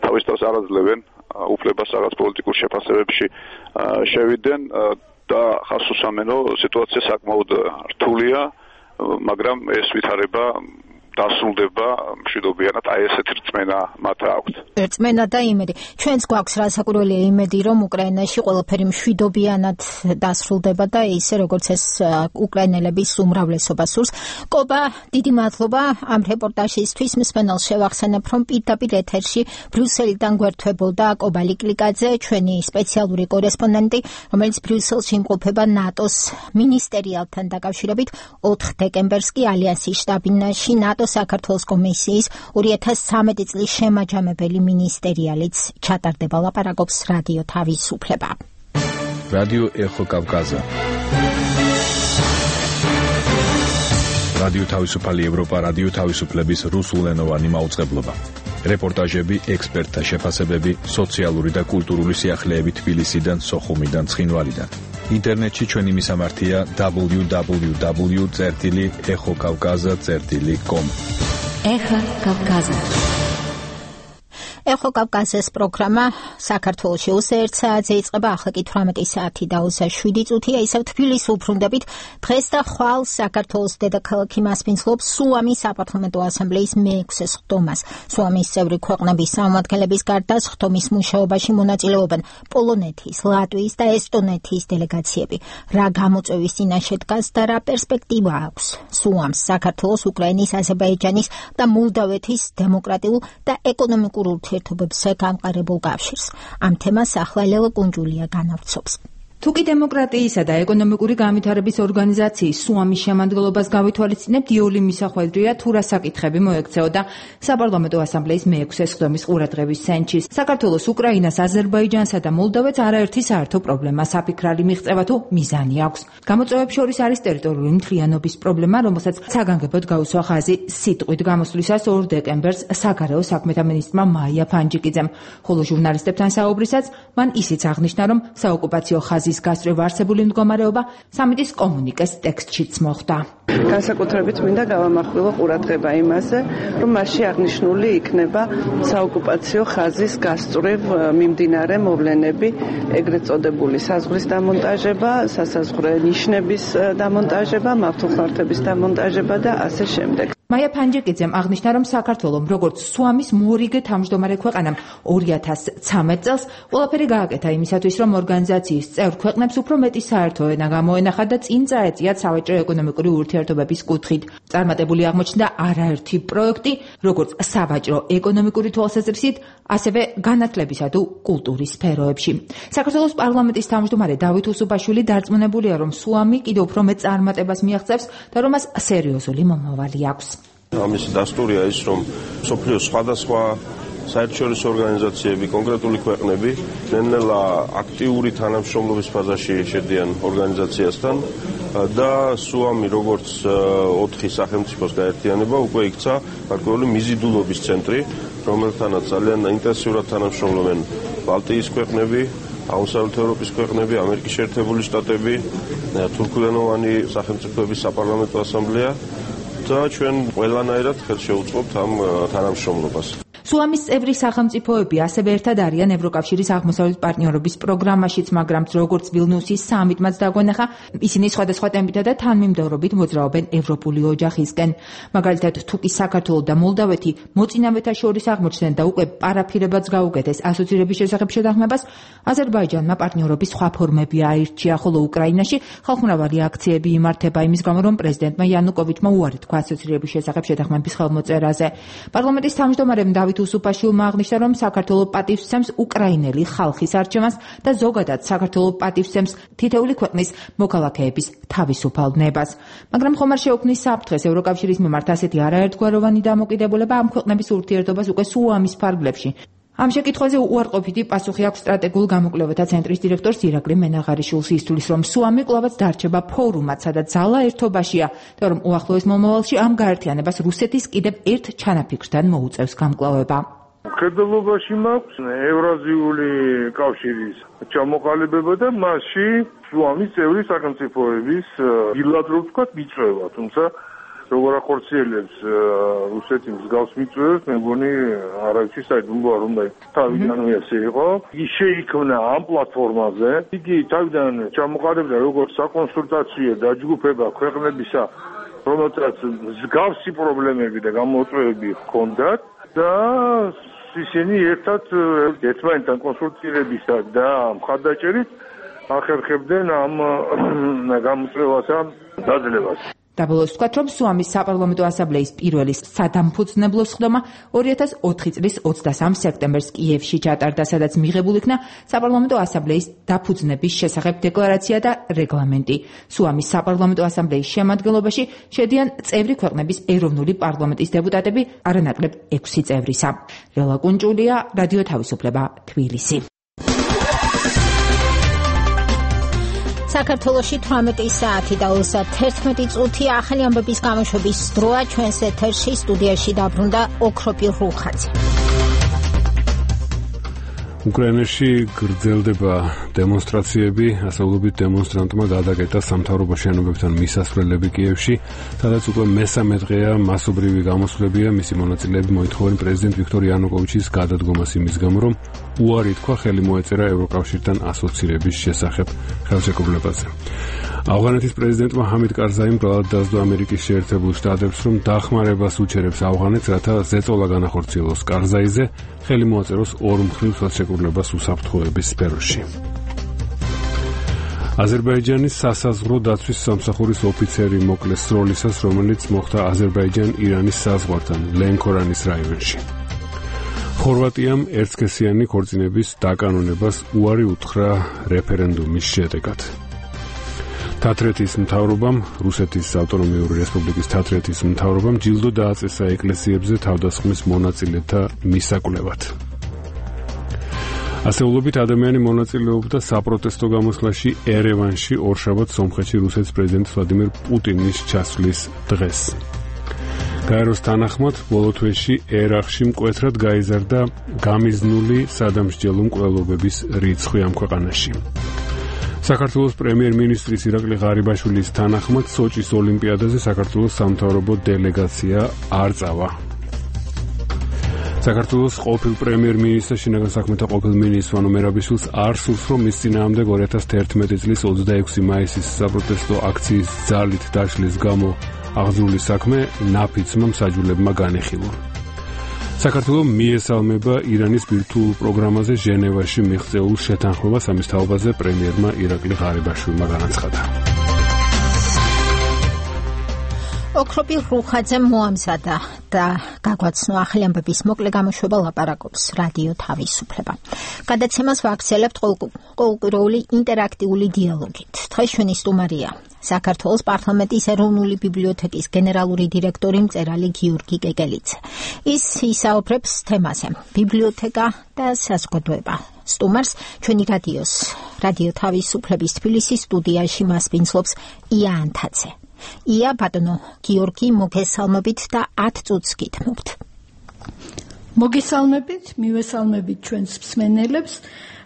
თავისთავად არ აძლევენ უფლებას რაღაც პოლიტიკურ შეფასებებში შევიდნენ და ხას უსამენო სიტუაცია საკმაოდ რთულია, მაგრამ ეს ვითარება დასრულდება მშვიდობიანად, აი ესეთი რწმენა მათ აქვთ. რწმენა და იმედი. ჩვენც გვაქვს რასაკვირველია იმედი, რომ უკრაინაში ყველაფერი მშვიდობიანად დასრულდება და ისე როგორც ეს უკრაინელების უმრავლესობა სურს. კობა, დიდი მადლობა ამ რეპორტაჟისთვის. მსმენელს შევახსენებ, რომ პირდაპირ ეთერში ბრიუსელიდან გვერდთვებოდა კობა ლიკლიკაძე, ჩვენი სპეციალური კორესპონდენტი, რომელიც ბრიუსელში იმყოფება ნატოს მინისტერიალთან დაკავშირებით 4 დეკემბერს კი ალიანსის შტაბ-ბინაში ნატოს საქართველოს კომისიის 2013 წლის შემაჯამებელი მინისტერიალიც ჩატარდება. ლაპარაკობს რადიო თავისუფლება. რადიო ეხო კავკაზა. რადიო თავისუფალი ევროპა, რადიო თავისუფლების რუსულენოვანი მაუწყებლობა. რეპორტაჟები, ექსპერტთა შეფასებები, სოციალური და კულტურული სიახლეები თბილისიდან, სოხუმიდან, ცხინვალიდან. ინტერნეტში ჩვენი მისამართია www.ეხოკავკაზა.com. ეხა კავკაზა. ეხო კავკაზის პროგრამა საქართველოში 21 საათზე იწყება, ახლა კი 18 საათი და 27 წუთია. ისევ თბილისს უბრუნდებით. დღეს და ხვალ საქართველოს დედაქალაქი მასპინძლობს სუამის საპარლამენტო ასამბლეის მე-6 სხდომას. სუამის წევრი ქვეყნების წარმომადგენლების გარდა სხდომის მუშაობაში მონაწილეობენ პოლონეთის, ლატვიის და ესტონეთის დელეგაციები. რა გამოწვევის წინაშე დგას და რა პერსპექტივა აქვს სუამს საქართველოს, უკრაინის, აზერბაიჯანის და მოლდავეთის დემოკრატიულ და ეკონომიკურ ურთიერთობებზე გამყარებულ კავშირს. ამ თემას ახლა ლელა კუნჯულია განავრცობს. თუკი დემოკრატიისა და ეკონომიკური განვითარების ორგანიზაციის სუამის შემადგენლობას გავითვალისწინებთ, იოლი მისახვედრია თუ რა საკითხები მოექცეოდა საპარლამენტო ასამბლეის მე-6 სხდომის ყურადღების ცენტრში. საქართველოს, უკრაინას, აზერბაიჯანსა და მოლდოვეთს არაერთი საერთო პრობლემა, საფიქრალი მიღწევა თუ მიზანი აქვს. გამოწვევებს შორის არის ტერიტორიული მთლიანობის პრობლემა, რომელსაც საგანგებოდ გაუსვა ხაზი სიტყვით გამოსვლისას 2 დეკემბერს საგარეო საქმეთა მინისტრმა მაია ფანჯიკიძემ. ხოლო ჟურნალისტებთან საუბრისას მან ისიც აღნიშნა, რომ საოკუპაციო ხაზის გასწრება არსებული მდგომარეობა სამიტის კომუნიკეს ტექსტშიც მოხვდა. განსაკუთრებით მინდა გავამახვილო ყურადღება იმაზე, რომ მასში აღნიშნული იქნება საოკუპაციო ხაზის გასწრებ მიმდინარე მოვლენები, ეგრეთ წოდებული საზღვრის დამონტაჟება, სასაზღვრო ნიშნების დამონტაჟება, მავთულხმართების დამონტაჟება და ასე შემდეგ. მაია ფანჯიკიძემ აღნიშნა, რომ საქართველოს როგორც სუამის მორიგე თავმჯდომარე ქვეყანამ 2013 წელს ყველაფერი გააკეთა იმისათვის, რომ ორგანიზაციის წევრ ქვეყნებს უფრო მეტი საერთო ენა გამოენახათ და წინ წაეწიათ სავაჭრო ეკონომიკური ურთიერთობების კუთხით. წარმატებული აღმოჩნდა არაერთი პროექტი, როგორც სავაჭრო ეკონომიკური თვალსაზრისით, ასევე განათლებისა თუ კულტურის სფეროებში. საქართველოს პარლამენტის თავმჯდომარე დავით უსუბაშვილი დარწმუნებულია, რომ სუამი კიდევ უფრო მეტ წარმატებას მიაღწევს და რომ მას სერიოზული მომავალი აქვს. ამის დასტურია ის, რომ სოფლიოს სხვადასხვა საერთაშორისო ორგანიზაციები, კონკრეტული ქვეყნები ნელ-ნელა აქტიური თანამშრომლობის ფაზაში შედიან ორგანიზაციასთან და სუამი როგორც 4 სახელმწიფოს გაერთიანება უკვე იქცა გარკვეული მიზიდულობის ცენტრი, რომელთანაც ძალიან ინტენსიურად თანამშრომლობენ ბალტიის ქვეყნები, აღმოსავლეთ ევროპის ქვეყნები, ამერიკის შეერთებული შტატები, თურქულენოვანი სახელმწიფოების საპარლამენტო ასამბლეა და ჩვენ ყველანაირად ხელს შევუწყობთ ამ თანამშრომლობას. სუამის წევრი სახელმწიფოები ასევე ერთად არიან ევროკავშირის აღმოსავლეთ პარტნიორობის პროგრამაშიც, მაგრამ როგორც ვილნიუსის სამიტმაც დაგვენახა, ისინი სხვადასხვა ტემპითა და თანმიმდევრობით მოძრაობენ ევროპული ოჯახისკენ. მაგალითად, თუ კი საქართველო და მოლდავეთი მოწინავეთა შორის აღმოჩნდნენ და უკვე პარაფირებაც გაუკეთეს ასოცირების შესახებ შეთანხმებას, აზერბაიჯანმა პარტნიორობის სხვა ფორმები აირჩია, ხოლო უკრაინაში ხალხმრავალი აქციები იმართება იმის გამო, რომ პრეზიდენტმა იანუკოვიჩმა უარი თქვა ასოცირების შესახებ შეთანხმების ხელმოწერაზე. პარლამენტის თავმჯდომარემ დავით უსუფაშვილმა აღნიშნა, რომ საქართველო პატივს სცემს უკრაინელი ხალხის არჩევანს და ზოგადად საქართველო პატივს სცემს თითეული ქვეყნის მოქალაქეების თავისუფალ ნებას. მაგრამ ხომ არ შეუქმნის საფრთხეს ევროკავშირის მიმართ ასეთი არაერთგვაროვანი დამოკიდებულება ამ ქვეყნების ურთიერთობას უკვე სუამის ფარგლებში. ამ შეკითხვაზე უარყოფითი პასუხი აქვს სტრატეგიულ გამოკვლევათა ცენტრის დირექტორს ირაკლი მენაღარიშვილს. ის თვლის, რომ სუამი კვლავაც დარჩება ფორუმად, სადაც ძალა ერთობაშია და რომ უახლოეს მომავალში ამ გაერთიანებას რუსეთის კიდევ ერთ ჩანაფიქრთან მოუწევს გამკლავება. მხედველობაში მაქვს ევრაზიული კავშირის ჩამოყალიბება და მასში სუამის წევრი სახელმწიფოების ბილატერალურ ვთქვათ მიწვევა, თუმცა როგორ ახორციელებს რუსეთი მსგავს მიწვევებს, მე მგონი არავითარი საიდუმლოა, რომ თავიდანვე ასე იყო. ის შეიქმნა ამ პლატფორმაზე. იგი თავიდან ჩამოყალიბდა როგორც საკონსულტაციო დაჯგუფება ქვეყნებისა, რომელთაც მსგავსი პრობლემები და გამოწვევები ჰქონდათ და ისინი ერთად ერთმანეთთან კონსულტირებისა და მხარდაჭერით ახერხებდნენ ამ გამოწვევასა დაძლევას. დაბოლოს ვთქვათ, რომ სუამის საპარლამენტო ასამბლეის პირველი სადამფუძნებლო სხდომა 2004 წლის 23 სექტემბერს კიევში ჩატარდა, სადაც მიღებულ იქნა საპარლამენტო ასამბლეის დაფუძნების შესახებ დეკლარაცია და რეგლამენტი. სუამის საპარლამენტო ასამბლეის შემადგენლობაში შედიან წევრი ქვეყნების ეროვნული პარლამენტის დეპუტატები, არანაკლებ 6 წევრისა. რელა კუნჭულია, რადიო თავისუფლება, თბილისი. საქართველოში 18 საათი და 31 წუთი ახალი ამბების გამოშვების დროა. ჩვენს ეთერში სტუდიაში დაბრუნდა ოქროპი რუხაძე. უკრაინაში გრძელდება დემონსტრაციები, ასეულობით დემონსტრანტმა გადაკეტა სამთავრობო შენობებთან მისასვლელები კიევში, სადაც უკვე მესამე დღეა მასობრივი გამოსვლებია. მისი მონაწილეები მოითხოვენ პრეზიდენტ ვიქტორ იანუკოვიჩის გადადგომას იმის გამო, რომ უარი თქვა ხელი მოეწერა ევროკავშირთან ასოცირების შესახებ ხელშეკრულებაზე. ავღანეთის პრეზიდენტმა ჰამიდ კარზაიმ ბრალად დასდო ამერიკის შეერთებულ შტატებს, რომ დახმარებას უჩერებს ავღანეთს, რათა ზეწოლა განახორციელოს კარზაიზე, ხელი მოაწეროს ორმხრივ ხელშეკრულებას უსაფრთხოების სფეროში. აზერბაიჯანის სასაზღვრო დაცვის სამსახურის ოფიცერი მოკლეს სროლისას, რომელიც მოხდა აზერბაიჯან-ირანის საზღვართან, ლენქორანის რაიონში. ხორვატიამ ერთსქესიანი ქორწინების დაკანონებას უარი უთხრა რეფერენდუმის შედეგად. თათრეთის მთავრობამ, რუსეთის ავტონომიური რესპუბლიკის თათრეთის მთავრობამ ჯილდო დააწესა ეკლესიებზე თავდასხმის მონაწილეთა მისაკვლევად. ასეულობით ადამიანი მონაწილეობდა საპროტესტო გამოსვლაში ერევანში ორშაბათს სომხეთში რუსეთის პრეზიდენტ ვლადიმირ პუტინის ჩასვლის დღეს. გაეროს თანახმად, ბოლო თვეში ერაყში მკვეთრად გაიზარდა გამიზნული სადამსჯელო მკვლელობების რიცხვი ამ ქვეყანაში. საქართველოს პრემიერ-მინისტრის ირაკლი ღარიბაშვილის თანახმად, სოჭის ოლიმპიადაზე საქართველოს სამთავრობო დელეგაცია არ წავა. საქართველოს ყოფილ პრემიერ-მინისტრ შინაგან საქმეთა ყოფილ მინისტრ ვანო მერაბიშვილს არ სურს, რომ მის წინააღმდეგ 2011 წლის 26 მაისის საპროტესტო აქციის ძალით დაშლის გამო აღძრული საქმე ნაფიცმა მსაჯულებმა განეხილა. საქართველოს მიესალმება ირანის ბირთვულ პროგრამაზე ჟენევაში მიღწეულ შეთანხმებას. ამის თაობაზე პრემიერმა ირაკლი ღარიბაშვილმა განაცხადა. ოქროპი რუხაძე მოამზადა და გაგვაცნო ახალი ამბების მოკლე გამოშვება ლაპარაკობს რადიო თავისუფლება. გადაცემას ვაქცელებთ ყოველკვირეული ინტერაქტიული დიალოგით. დღეს ჩვენი სტუმარია საქართველოს პარლამენტის ეროვნული ბიბლიოთეკის გენერალური დირექტორი მწერალი გიორგი კეკელიძე. ის ისაუბრებს თემაზე ბიბლიოთეკა და საზოგადოება. სტუმარს ჩვენი რადიო თავისუფლების თბილისის სტუდიაში მასპინძლობს ია ანთაძე. ია, ბატონო გიორგი, მოგესალმებით და 10 წუთს გითმობთ. მოგესალმებით, მივესალმებით ჩვენს მსმენელებს.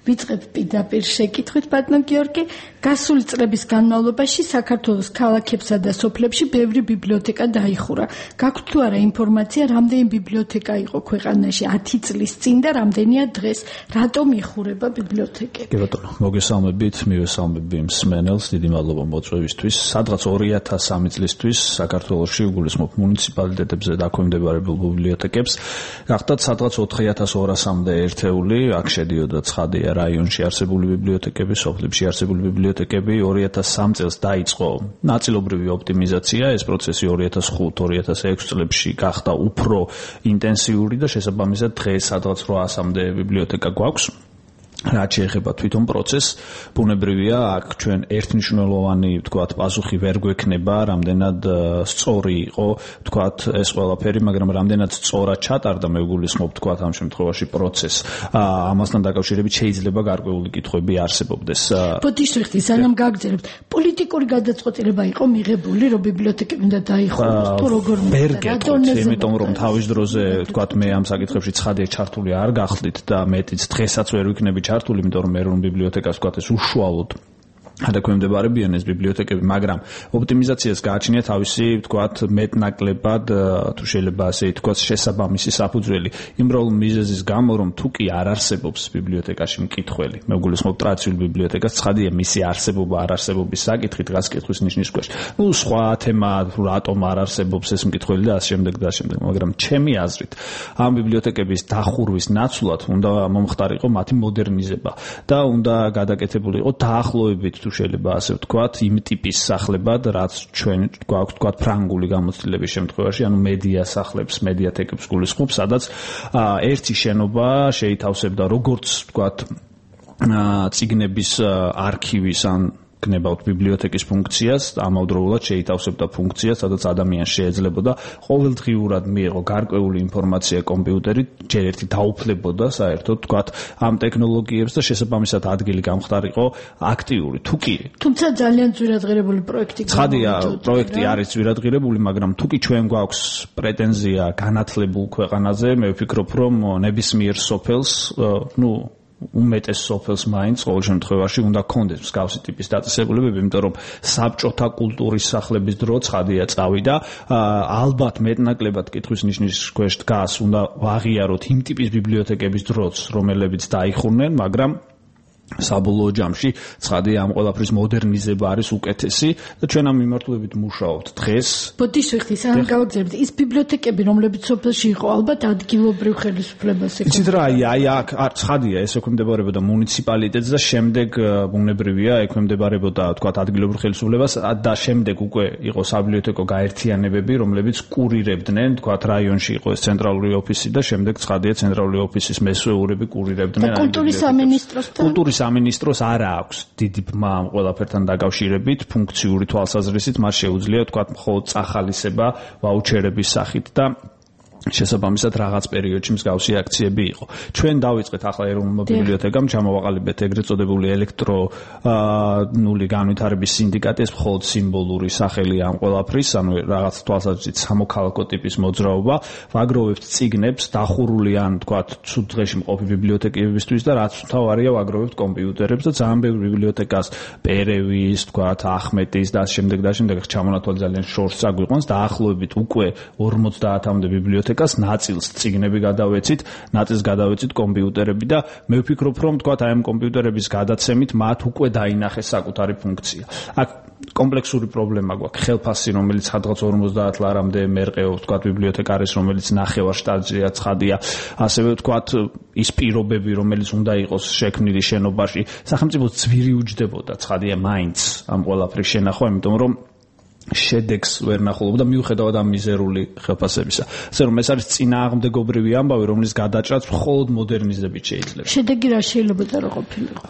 ვიწყებ პირდაპირ შეკითხვით, ბატონო გიორგი, გასული წლების განმავლობაში საქართველოს ქალაქებსა და სოფლებში ბევრი ბიბლიოთეკა დაიხურა. გაქვთ თუ არა ინფორმაცია, რამდენი ბიბლიოთეკა იყო ქვეყანაში 10 წლის წინ და რამდენია დღეს? რატომ იხურება ბიბლიოთეკები? კი ბატონო, მოგესალმებით, მივესალმები მსმენელს, დიდი მადლობა მოწვევისთვის. სადღაც 2003 წლისთვის საქართველოში უგულისხმობ მუნიციპალიტეტებზე დაქვემდებარებულ ბიბლიოთეკებს გახდათ სადღაც 4200-მდე ერთეული, აქ შედიოდა ცხადია რაიონში არსებული ბიბლიოთეკები, სოფლებში არსებული ბიბლიოთეკები. 2003 წელს დაიწყო ნაწილობრივი ოპტიმიზაცია, ეს პროცესი 2005-2006 წლებში გახდა უფრო ინტენსიური და შესაბამისად დღეს სადღაც 800-მდე ბიბლიოთეკა გვაქვს. რაც შეეხება თვითონ პროცესს, ბუნებრივია, აქ ჩვენ ერთმნიშვნელოვანი, ვთქვათ, პასუხი ვერ გვექნება, რამდენად სწორი იყო, ვთქვათ, ეს ყველაფერი, მაგრამ რამდენად სწორად ჩატარდა, მე ვგულისხმობ, ვთქვათ, ამ შემთხვევაში პროცესს. ამასთან დაკავშირებით შეიძლება გარკვეული კითხვები არსებობდეს. ბოდიშრიხტი, სანამ გაგრძელებთ, პოლიტიკური გადაწყვეტილება იყო მიღებული, რომ ბიბლიოთეკები უნდა დაიხუროს, თუ როგორ ვერ გეტყვით, იმიტომ რომ თავის დროზე, ვთქვათ, მე ამ საკითხებში ცხადია ჩართული არ გახდით და მეტიც დღესაც ვერ ვიქნები ჩართული, იმიტომ რომ ეროვნულ ბიბლიოთეკას ვთქვათ ეს უშუალოდ დაქვემდებარებიან ეს ბიბლიოთეკები, მაგრამ ოპტიმიზაციას გააჩნია თავისი, ვთქვათ, მეტნაკლებად, თუ შეიძლება ასე ითქვას, შესაბამისი საფუძველი. იმ პრობლემ მიზეზის გამო, რომ თუ კი არ არსებობს ბიბლიოთეკაში მკითხველი, მე ვგულისხმობ ტრადიციული ბიბლიოთეკას, ცხადია მისი არსებობა, არ არსებობის საკითხი დგას კითხვის ნიშნის ქვეშ. სხვა თემა, რატომ არ არსებობს ეს მკითხველი და ასე შემდეგ და ასე შემდეგ, მაგრამ ჩემი აზრით, ამ ბიბლიოთეკების დახურვის ნაცვლად უნდა მომხდარიყო მათი მოდერნიზება და უნდა გადაკეთებული იყო დაახლოებით შეიძლება ასე ვთქვათ, იმ ტიპის სახლებად, რაც ჩვენ გვაქვს ვთქვათ ფრანგული გამოცდილების შემთხვევაში, ანუ მედია სახლებს, მედიათეკებს გულისხმობ, სადაც ერთი შენობა შეითავსებდა როგორც ვთქვათ წიგნების არქივის ან გნებავთ ბიბლიოთეკის ფუნქციას, ამავდროულად შეითავსებდა ფუნქციას, სადაც ადამიანს შეეძლებოდა ყოველდღიურად მიეღო გარკვეული ინფორმაცია კომპიუტერით, ჯერ ერთი დაუფლებოდა საერთოდ, ვთქვათ, ამ ტექნოლოგიებს და შესაბამისად ადგილი გამხდარიყო აქტიური. თუ კი თუმცა ძალიან ძვირადღირებული პროექტი ცხადია, პროექტი არის ძვირადღირებული, მაგრამ თუ კი ჩვენ გვაქვს პრეტენზია განათლებულ ქვეყანაზე, მე ვფიქრობ, რომ ნებისმიერ სოფელს, უმეტეს სოფელს მაინც ყოველ შემთხვევაში უნდა გქონდეს მსგავსი ტიპის დაწესებულებები, იმიტომ რომ საბჭოთა კულტურის სახლების დრო ცხადია წავიდა. ალბათ მეტნაკლებად კითხვის ნიშნის ქვეშ დგას, უნდა ვაღიაროთ იმ ტიპის ბიბლიოთეკების დროც, რომლებიც დაიხურნენ, მაგრამ საბოლოო ჯამში ცხადია ამ ყველაფრის მოდერნიზება არის უკეთესი და ჩვენ ამ მიმართულებით მუშაობთ დღეს. ბოდიშრიხტი, სანამ გავაგზავნებთ, ის ბიბლიოთეკები, რომლებიც სოფელში იყო, ალბათ ადგილობრივ ხელისუფლებას ეკუთვნოდა. იცით რა, აქ ცხადია, ეს ექვემდებარებოდა მუნიციპალიტეტს და შემდეგ ბუნებრივია, ექვემდებარებოდა, ვთქვათ, ადგილობრივ ხელისუფლებას და შემდეგ უკვე იყო საბიბლიოთეკო გაერთიანებები, რომლებიც კურირებდნენ, ვთქვათ, რაიონში იყო ეს ცენტრალური ოფისი და შემდეგ ცხადია ცენტრალური ოფისის მესვეურები კურირებდნენ. კულტურის სამინისტროს არა აქვს დიდი ბმა ამ ყველაფერთან დაკავშირებით, ფუნქციური თვალსაზრისით მას შეუძლია ვთქვათ მხოლოდ წახალისება ვაუჩერების სახით და შესაბამისად რაღაც პერიოდში მსგავსი აქციები იყო. ჩვენ დავიწყეთ ახლა ეროვნულ ბიბლიოთეკამ ჩამოვაყალიბეთ ეგრეთ წოდებული ელექტრონული განვითარების სინდიკატი, ეს მხოლოდ სიმბოლური სახელი ამ ყველაფრის, ანუ რაღაც თვალსაზრისით სამოქალაქო ტიპის მოძრაობა, ვაგროვებთ წიგნებს, დახურული ან თქვათ ცუდ დღეში მყოფი ბიბლიოთეკებისთვის და რაც თავარია ვაგროვებთ კომპიუტერებს და ძალიან ბევრი ბიბლიოთეკას პერევის, თქვათ ახმეტის და შემდეგ ჩამონათვალი ძალიან შორს აგვიყვანს, დაახლოებით უკვე 50-მდე ბიბლიოთეკა ნაწილს წიგნები გადავეცით, ნაწილს გადავეცით კომპიუტერები და მე ვფიქრობ, რომ თქვათ აი ამ კომპიუტერების გადაცემით მათ უკვე დაინახეს საკუთარი ფუნქცია. აქ კომპლექსური პრობლემა გვაქვს, ხელფასი, რომელიც სადღაც 50 ლარამდე მერყეობს, თქვათ ბიბლიოთეკა არის, რომელიც ნახევარ შტატზეა ცხადია, ასევე თქვათ ის პირობები, რომელიც უნდა იყოს შექმნილი შენობაში, სახელმწიფოს ძვირი უჯდებოდა ცხადია მაინც ამ ყველაფრის შენახვა, იმიტომ რომ შედეგს ვერ ნახულობდა მიუხედავად ამ მიზერული ხელფასებისა. ასე რომ ეს არის წინააღმდეგობრივი ამბავი, რომლის გადაჭრაც მხოლოდ მოდერნიზებით შეიძლება. შედეგი რა შეიძლება და რა ყოფილიყო?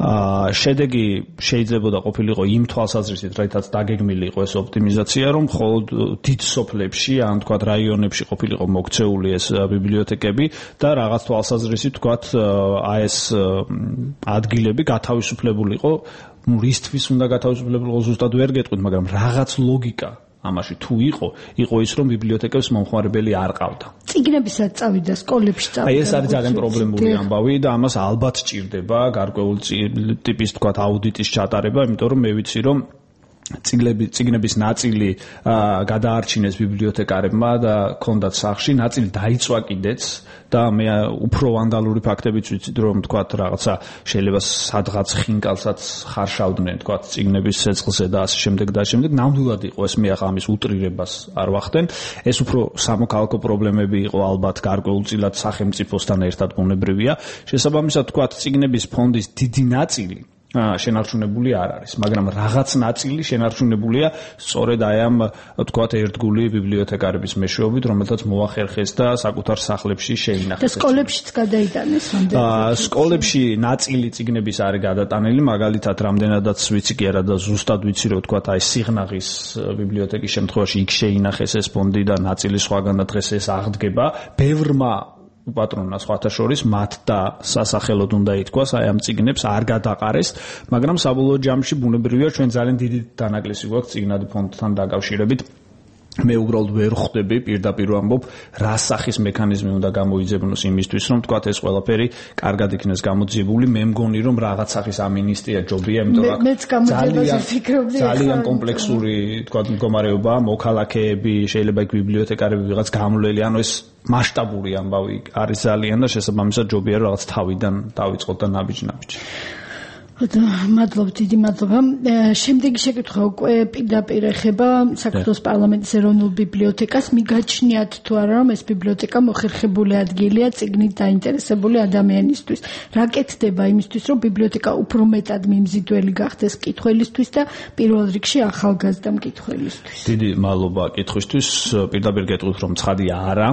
შედეგი შეიძლება ყოფილიყო იმ თვალსაზრისით, რაითაც დაგეგმილი იყო ეს ოპტიმიზაცია, რომ მხოლოდ დიდ სოფლებში, ან თქვათ რაიონებში ყოფილიყო მოქცეული ეს ბიბლიოთეკები და რაღაც თვალსაზრისით თქვათ აი ეს ადგილები გათავისუფლებულიყო. რისთვის უნდა გათავისუფლებულიყო ზუსტად ვერ გეტყვით, მაგრამ რაღაც ლოგიკა ამაში თუ იყო ის რომ ბიბლიოთეკებს მომხმარებელი არ ყავდა. წიგნებისაც წავიდა სკოლებში წავიდა. აი ეს არის ძალიან პრობლემური ამბავი და ამას ალბათ ჭირდება გარკვეული ტიპის თქვა აუდიტის ჩატარება, იმიტომ რომ მე ვიცი რომ წიგნების ნაწილი გადაარჩინეს ბიბლიოთეკარებმა და ქონდათ სახში, ნაწილი დაიწვა კიდეც და მე უფრო ვანდალური ფაქტებიც ვიცით რომ თქვა რაღაცა შეიძლება სადღაც ხინკალსაც ხარშავდნენ თქვა წიგნების ცეცხლზე და ასე შემდეგ და შემდეგ ნამდვილად იყო ეს მე ახლა ამის უტრირებას არ ვახდენ ეს უფრო სამოქალაქო პრობლემები იყო ალბათ გარკვეულწილად სახელმწიფოსთან ერთად ბუნებრივია შესაბამისად თქვა წიგნების ფონდის დიდი ნაწილი შენარჩუნებული არ არის, მაგრამ რაღაც ნაწილი შენარჩუნებულია სწორედ აი ამ თქვათ ერთგული ბიბლიოთეკარების მეშვეობით, რომელთაც მოახერხეს და საკუთარ სახლებში შეინახეს. და სკოლებშიც გადაიტანეს რამდენად? სკოლებში ნაწილი წიგნების არის გადატანილი, მაგალითად, რამდენადაც ვიცი კი არა და ზუსტად ვიცი რომ თქვათ აი სიღნაღის ბიბლიოთეკის შემთხვევაში იქ შეინახეს ეს ფონდი და ნაწილი სხვაგან და დღეს ეს აღდგება. ბევრმა პატრონას სხვათა შორის მათ და სასახელოდ უნდა ითქვას აი ამ წიგნებს არ გადაყარეს, მაგრამ საბოლოო ჯამში ბუნებრივია ჩვენ ძალიან დიდი დანაკლისი გვაქვს წიგნადი ფონდთან დაკავშირებით. მე უბრალოდ ვერ ხვდები პირდაპირ ვამბობ რა სახის მექანიზმი უნდა გამოიძებნოს იმისთვის რომ თქვათ ეს ყველაფერი კარგად იქნეს გამოძიებული მე მგონი რომ რაღაც სახის ამინისტია ჯობია იმიტომ რომ ძალიან კომპლექსური თქვათ მდგომარეობა მოქალაქეები შეიძლება იქ ბიბლიოთეკარები ვიღაც გამლელი ანუ ეს მასშტაბური ამბავი არის ძალიან და შესაბამისად ჯობია რომ რაღაც თავიდან დავიწყოთ და ნაბიჯ-ნაბიჯი მადლობ დიდი მადლობა. შემდეგი შეკითხვა უკვე პირდაპირ ეხება საქართველოს პარლამენტის ეროვნულ ბიბლიოთეკას. მიგაჩნიათ თუ არა რომ ეს ბიბლიოთეკა მოხერხებული ადგილია წიგნით დაინტერესებული ადამიანისთვის. რა კეთდება იმისთვის რომ ბიბლიოთეკა უფრო მეტად მიმზიდველი გახდეს მკითხველისთვის და პირველ რიგში ახალგაზრდა მკითხველისთვის. დიდი მადლობა კითხვისთვის. პირდაპირ გეტყვით რომ ცხადია არა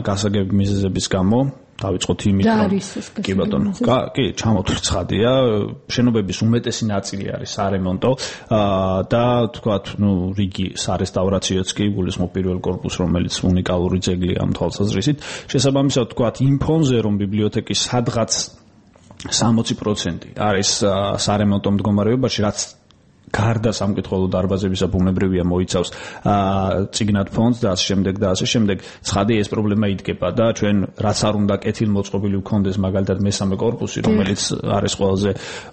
გასაგები მიზეზების გამო დავიწყოთ იმით რომ კი ბატონო კი ჩამოთვლით ცხადია შენობების უმეტესი ნაწილი არის სარემონტო და თქვათ ნუ რიგი სარესტავრაციოც კი გულისხმობ პირველ კორპუსს რომელიც უნიკალური ძეგლია ამ თვალსაზრისით შესაბამისად თქვათ იმ ფონზე რომ ბიბლიოთეკის სადღაც 60% არის სარემონტო მდგომარეობაში რაც გარდა სამკითხველო დარბაზებისა ბუნებრივია მოიცავს წიგნად ფონდს და ასე შემდეგ ცხადია ეს პრობლემა იდგება და ჩვენ რაც არ უნდა კეთილმოწყობილი ვქონდეს მაგალითად მესამე კორპუსი რომელიც არის ყველაზე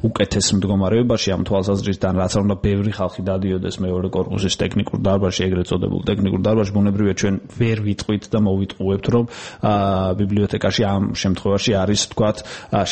უკეთეს მდგომარეობაში ამ თვალსაზრისიდან რაც არ უნდა ბევრი ხალხი დადიოდეს მეორე კორპუსის ტექნიკურ დარბაზში ეგრეთ წოდებულ ტექნიკურ დარბაზში ბუნებრივია ჩვენ ვერ ვიტყვით და მოვიტყუებთ რომ ბიბლიოთეკაში ამ შემთხვევაში არის თქვათ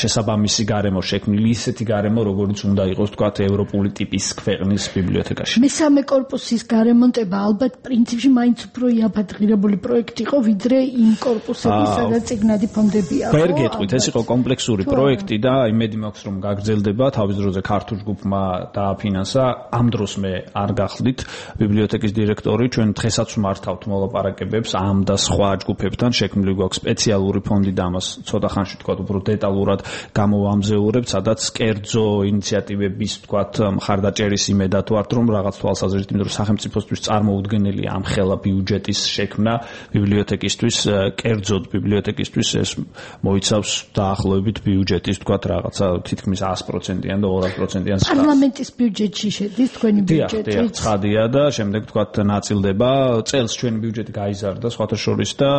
შესაბამისი გარემო შექმნილი ისეთი გარემო როგორც უნდა იყოს თქვათ ევროპული ტიპის ქვეყნის ბიბლიოთეკაში. მესამე კორპუსის გარემონტება ალბათ პრინციპში მაინც უფრო იაფადღირებული პროექტი იყო, ვიდრე იმ კორპუსების, სადაც წიგნადი ფონდებია. ვერ გეტყვით, ეს იყო კომპლექსური პროექტი და იმედი მაქვს, რომ გაგრძელდება. თავის დროზე ქართულ ჯგუფმა დააფინანსა. ამ დროს მე არ გახლდით ბიბლიოთეკის დირექტორი, ჩვენ დღესაც ვმართავთ მოლაპარაკებებს ამ და სხვა ჯგუფებთან, შექმნილი გვაქვს სპეციალური ფონდი და ამას ცოტა ხანში თქვა უფრო დეტალურად გამოვამზეურებთ, სადაც კერძო ინიციატივების თქვა მხარდაჭერის იმედად ვართ რომ რაღაც თვალსაზრისით იმიტომ რომ სახელმწიფოსთვის წარმოუდგენელია ამ ხელა ბიუჯეტის შექმნა ბიბლიოთეკისთვის კერძოდ ბიბლიოთეკისთვის ეს მოიცავს დაახლოებით ბიუჯეტის თქვა რაღაცა თითქმის 100%-იან და 200%-იან პარლამენტის ბიუჯეტში შედის თქვენი ბიუჯეტი ცხადია და შემდეგ თქვა ნაწილდება წელს ჩვენი ბიუჯეტი გაიზარდა სხვათა შორის და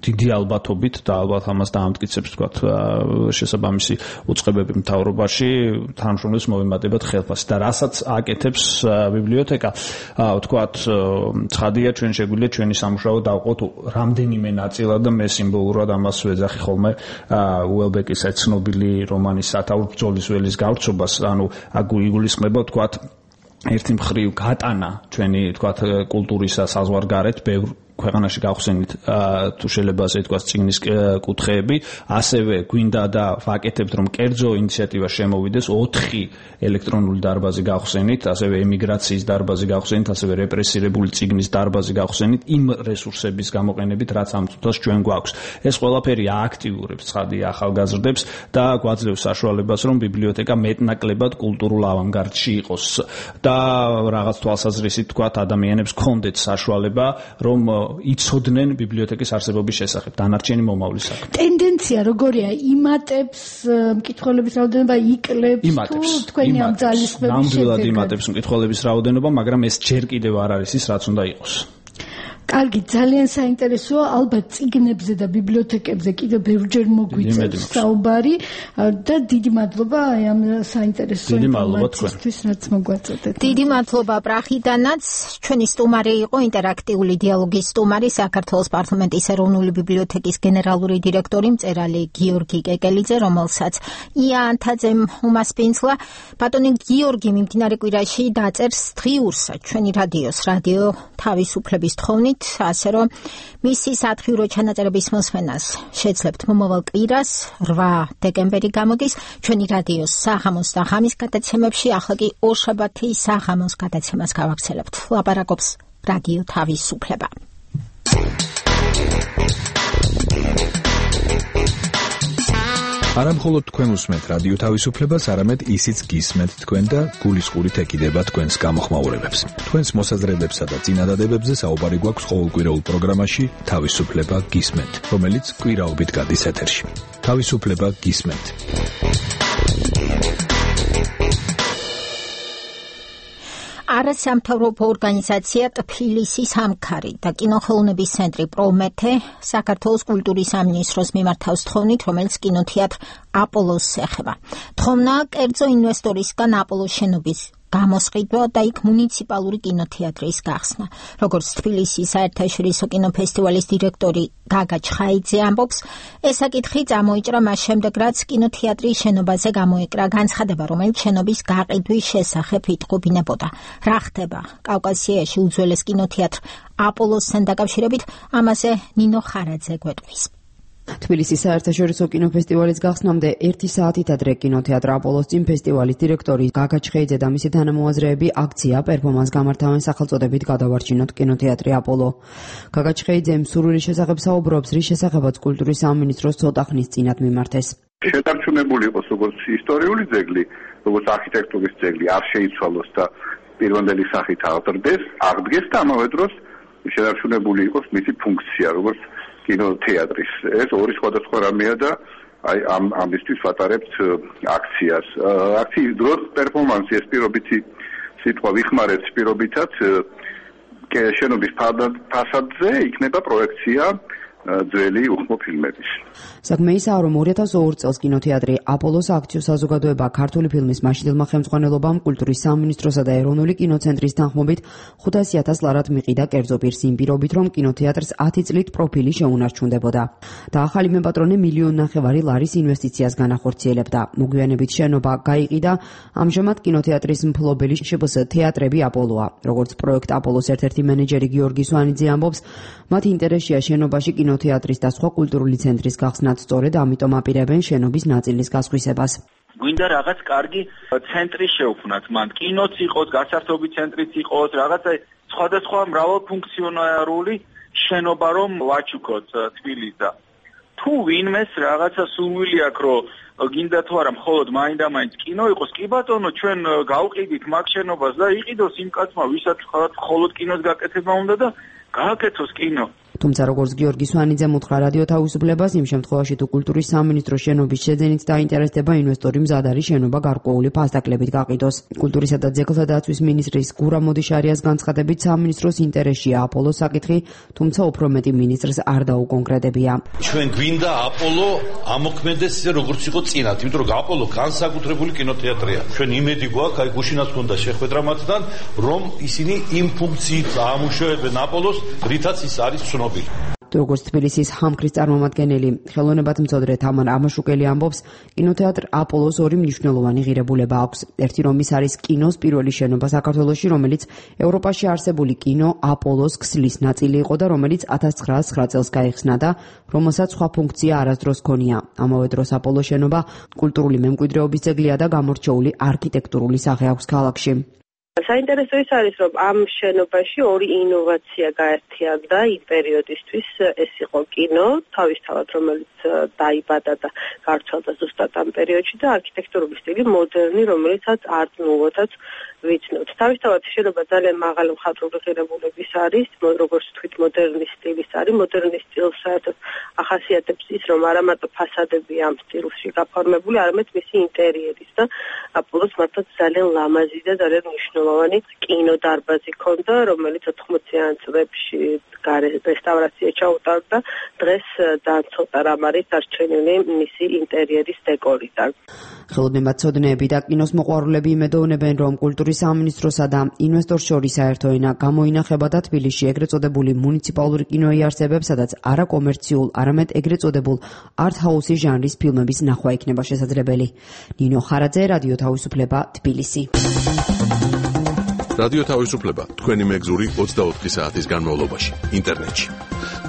დიდი ალბათობით და ალბათ ამას დაამტკიცებს თქვათ შესაბამისი უწყებები მთავრობაში თანამშრომლებს მოვემატებათ ხელფასი და რასაც აკეთებს ბიბლიოთეკა თქვათ ცხადია ჩვენ შეგვიძლია ჩვენი სამუშაო დავყოთ რამდენიმე ნაწილად და მე სიმბოლურად ამას ვეძახი ხოლმე უელბეკის ცნობილი რომანის სათაურ ბრძოლის ველის გავრცობას ანუ აგულისხმება თქვათ ერთი მხრივ გატანა ჩვენი თქვათ კულტურისა საზღვარგარეთ ბევრ ქვეყანაში გავხსენით თუ შეიძლება ასე თქვას წიგნის კუთხეები ასევე გვინდა და ვაკეთებთ რომ კერძო ინიციატივა შემოვიდეს 4 ელექტრონული დარბაზი გავხსენით ასევე ემიგრაციის დარბაზი გავხსენით ასევე რეპრესირებული წიგნის დარბაზი გავხსენით იმ რესურსების გამოყენებით რაც ამ წუთას ჩვენ გვაქვს ეს ყველაფერი ააქტიურებს ცხადია ახალგაზრდებს და გვაძლევს საშუალებას რომ ბიბლიოთეკა მეტნაკლებად კულტურულ ავანგარდში იყოს და რაღაც თვალსაზრისით თქვათ ადამიანებს კონდეთ საშუალება რომ იცოდნენ ბიბლიოთეკის არსებობის შესახებ დანარჩენი მომავლის საქმე. ტენდენცია როგორია იმატებს მკითხველების რაოდენობა იკლებს თუ თქვენი ამ ძალისხმების ნამდვილად იმატებს მკითხველების რაოდენობა, მაგრამ ეს ჯერ კიდევ არ არის ის, რაც უნდა იყოს. კარგი, ძალიან საინტერესოა, ალბათ წიგნებზე და ბიბლიოთეკებზე კიდევ ბევრჯერ მოგვიწევს საუბარი და დიდი მადლობა ამ საინტერესო ინფორმაციისთვის, რაც მოგვაწოდეთ. დიდი მადლობა პრახიდანაც. ჩვენი სტუმარი იყო ინტერაქტიული დიალოგის სტუმარი, საქართველოს პარლამენტის ეროვნული ბიბლიოთეკის გენერალური დირექტორი მწერალი გიორგი კეკელიძე, რომელსაც ია ანთაძემ უმასპინძლა. ბატონი გიორგი მიმდინარე კვირაში დაწერს დღიურს ჩვენი რადიოს რადიო თავისუფლების თხოვნით, ასე რომ მისი სათხიურო ჩანაწერების მოსმენას შეძლებთ მომავალ კვირას 8 დეკემბერი გამოდის ჩვენი რადიოს საღამოს და ღამის გადაცემებში. ახლა კი ორშაბათი საღამოს გადაცემას გავაგრძელებთ. ლაპარაკობს რადიო თავისუფლება. არა მხოლოდ თქვენ უსმენთ რადიო თავისუფლებას, არამედ ისიც გისმენთ თქვენ და გულისყურით ეკიდება თქვენს გამოხმაურებებს. თქვენს მოსაზრებებსა და წინადადებებზე საუბარი გვაქვს ყოველკვირეულ პროგრამაში თავისუფლება გისმენთ, რომელიც კვირაობით გადის ეთერში. თავისუფლება გისმენთ. არასამთავრობო ორგანიზაცია ტფილისის ამქარი და კინოხელოვნების ცენტრი პრომეთე საქართველოს კულტურის სამინისტროს მიმართავს თხოვნით, რომელიც კინოთეატრ აპოლოს ეხება. თხოვნა კერძო ინვესტორისგან აპოლოს შენობის გამოსყიდვა და იქ მუნიციპალური კინოთეატრის გახსნა. როგორც თბილისის საერთაშორისო კინოფესტივალის დირექტორი გაგა ჩხაიძე ამბობს, ეს საკითხი წამოიჭრა მას შემდეგ, რაც კინოთეატრის შენობაზე გამოეკრა განცხადება, რომელიც შენობის გაყიდვის შესახებ იტყობინებოდა. რა ხდება კავკასიაში უძველეს კინოთეატრ აპოლოსთან დაკავშირებით, ამაზე ნინო ხარაძე გვეტყვის. თბილისის საერთაშორისო კინოფესტივალის გახსნამდე 1 საათით ადრე კინოთეატრ აპოლოს წინ ფესტივალის დირექტორი გაგა ჩხეიძე და მისი თანამოაზრეები აქცია პერფორმანს გამართავენ სახელწოდებით გადავარჩინოთ კინოთეატრი აპოლო. გაგა ჩხეიძემ სურვილის შესახებ საუბრობს, რის შესახებაც კულტურის სამინისტროს ცოტა ხნის წინათ მიმართეს. შეტარჩუნებული იყოს როგორც ისტორიული ძეგლი, როგორც არქიტექტურის ძეგლი, არ შეიცვალოს და პირვანდელი სახით აღდგეს და ამავე დროს შეტარჩუნებული იყოს მისი ფუნქცია, როგორც კინოთეატრის. ეს ორი სხვადასხვა რამეა და აი ამისთვის ვატარებთ აქციას. აქციის დროს პერფორმანსი ეს პირობითი სიტყვა ვიხმარებთ პირობითად შენობის ფასადზე იქნება პროექცია ძველი უხმო ფილმების. საქმე ისაა, რომ 2002 წელს კინოთეატრი აპოლოს აქციო საზოგადოება ქართული ფილმის მაშინდელმა ხელმძღვანელობამ კულტურის სამინისტროსა და ეროვნული კინოცენტრის თანხმობით 500,000 ლარად მიყიდა კერძო პირს იმ პირობით, რომ კინოთეატრს 10 წლით პროფილი შეუნარჩუნდებოდა. და ახალი მეპატრონე 1,5 მილიონ ლარის ინვესტიციას განახორციელებდა. მოგვიანებით შენობა გაიყიდა, ამჟამად კინოთეატრის მფლობელი შპს თეატრები აპოლოა. როგორც პროექტ აპოლოს ერთ-ერთი მენეჯერი გიორგი სვანიძე ამბობს, მათ ინტერესია შენობაში კინოთეატრის და სხვა კულტურული ცენტრის გახსნაც, სწორედ ამიტომ აპირებენ შენობის ნაწილის გასხვისებას. გვინდა რაღაც კარგი ცენტრი შევქმნათ, მან კინოც იყოს, გასართობი ცენტრიც იყოს, რაღაცა სხვადასხვა მრავალფუნქციონალური შენობა რომ ვაჩუქოთ თბილისს. თუ ვინმეს რაღაცა სურვილი აქვს, რომ გინდა თუ არა მხოლოდ მაინდა-მაინც კინო იყოს, კი ბატონო, ჩვენ გავყიდით მაგ შენობას და იყიდოს იმ კაცმა, ვისაც მხოლოდ კინოს გაკეთება უნდა და გააკეთოს კინო. თუმცა როგორც გიორგი სვანიძემ უთხრა რადიო თავისუფლებას, იმ შემთხვევაში თუ კულტურის სამინისტრო შენობის შეძენით დაინტერესდება, ინვესტორი მზად არის შენობა გარკვეული ფასდაკლებით გაყიდოს. კულტურისა და ძეგლთა დაცვის მინისტრის გურამ მოდიშარიას განცხადებით, სამინისტროს ინტერესია აპოლოს საკითხი, თუმცა უფრო მეტი მინისტრს არ დაუკონკრეტებია. ჩვენ გვინდა აპოლო ამოქმედეს ისე როგორც იყო წინათ, იმიტომ რომ აპოლო განსაკუთრებული კინოთეატრია. ჩვენ იმედი გვაქვს, აი გუშინაც ქონდა შეხვედრა მათთან, რომ ისინი იმ ფუნქციით აამუშავებენ აპოლოს, რითაც ის არის ცნობილი. როგორც თბილისის ჰამქრის წარმომადგენელი ხელოვნებათმცოდნე თამარ ამაშუკელი ამბობს, კინოთეატრ აპოლოს ორი მნიშვნელოვანი ღირებულება აქვს. ერთი რომ ის არის კინოს პირველი შენობა საქართველოში, რომელიც ევროპაში არსებული კინო აპოლოს ქსლის ნაწილი იყო და რომელიც 1909 წელს გაიხსნა და რომელსაც სხვა ფუნქცია არასდროს ჰქონია. ამავე დროს აპოლოს შენობა კულტურული მემკვიდრეობის ძეგლია და გამორჩეული არქიტექტურული სახე აქვს ქალაქში. საინტერესო ის არის, რომ ამ შენობაში ორი ინოვაცია გაერთიანდა იმ პერიოდისთვის. ეს იყო კინო, თავისთავად, რომელიც დაიბადა და გავრცელდა ზუსტად ამ პერიოდში და არქიტექტურული სტილი მოდერნი, რომელიცაც art nouveau-საც ვიცნობთ. თავისთავად შენობა ძალიან მაღალი მხატვრული ღირებულების არის, როგორც თქვით, მოდერნის სტილის არის. მოდერნის სტილს საერთოდ ახასიათებს ის, რომ არა მარტო ფასადები ამ სტილში გაფორმებული, არამედ მისი ინტერიერის და აპოლოს მართლაც ძალიან ლამაზი და ძალიან მნიშვნელოვანი კინოდარბაზი ჰქონდა, რომელიც 80-იან წლებში რესტავრაცია ჩაუტარდა. დღეს ძალიან ცოტა რამ არის დარჩენილი მისი ინტერიერის დეკორიდან. ხელოვნებაცოდნეები და კინოს მოყვარულები იმედოვნებენ, რომ კულტურის სამინისტროსა და ინვესტორს შორის საერთო ენა გამოინახება და თბილისში ეგრეთ წოდებული მუნიციპალური კინო იარსებებს, სადაც არაკომერციულ, არამედ ეგრეთ წოდებულ art-house ჟანრის ფილმების ნახვა იქნება შესაძლებელი. ნინო ხარაძე, რადიო თავისუფლება, თბილისი. რადიო თავისუფლება თქვენი მეგზური 24 საათის განმავლობაში ინტერნეტში.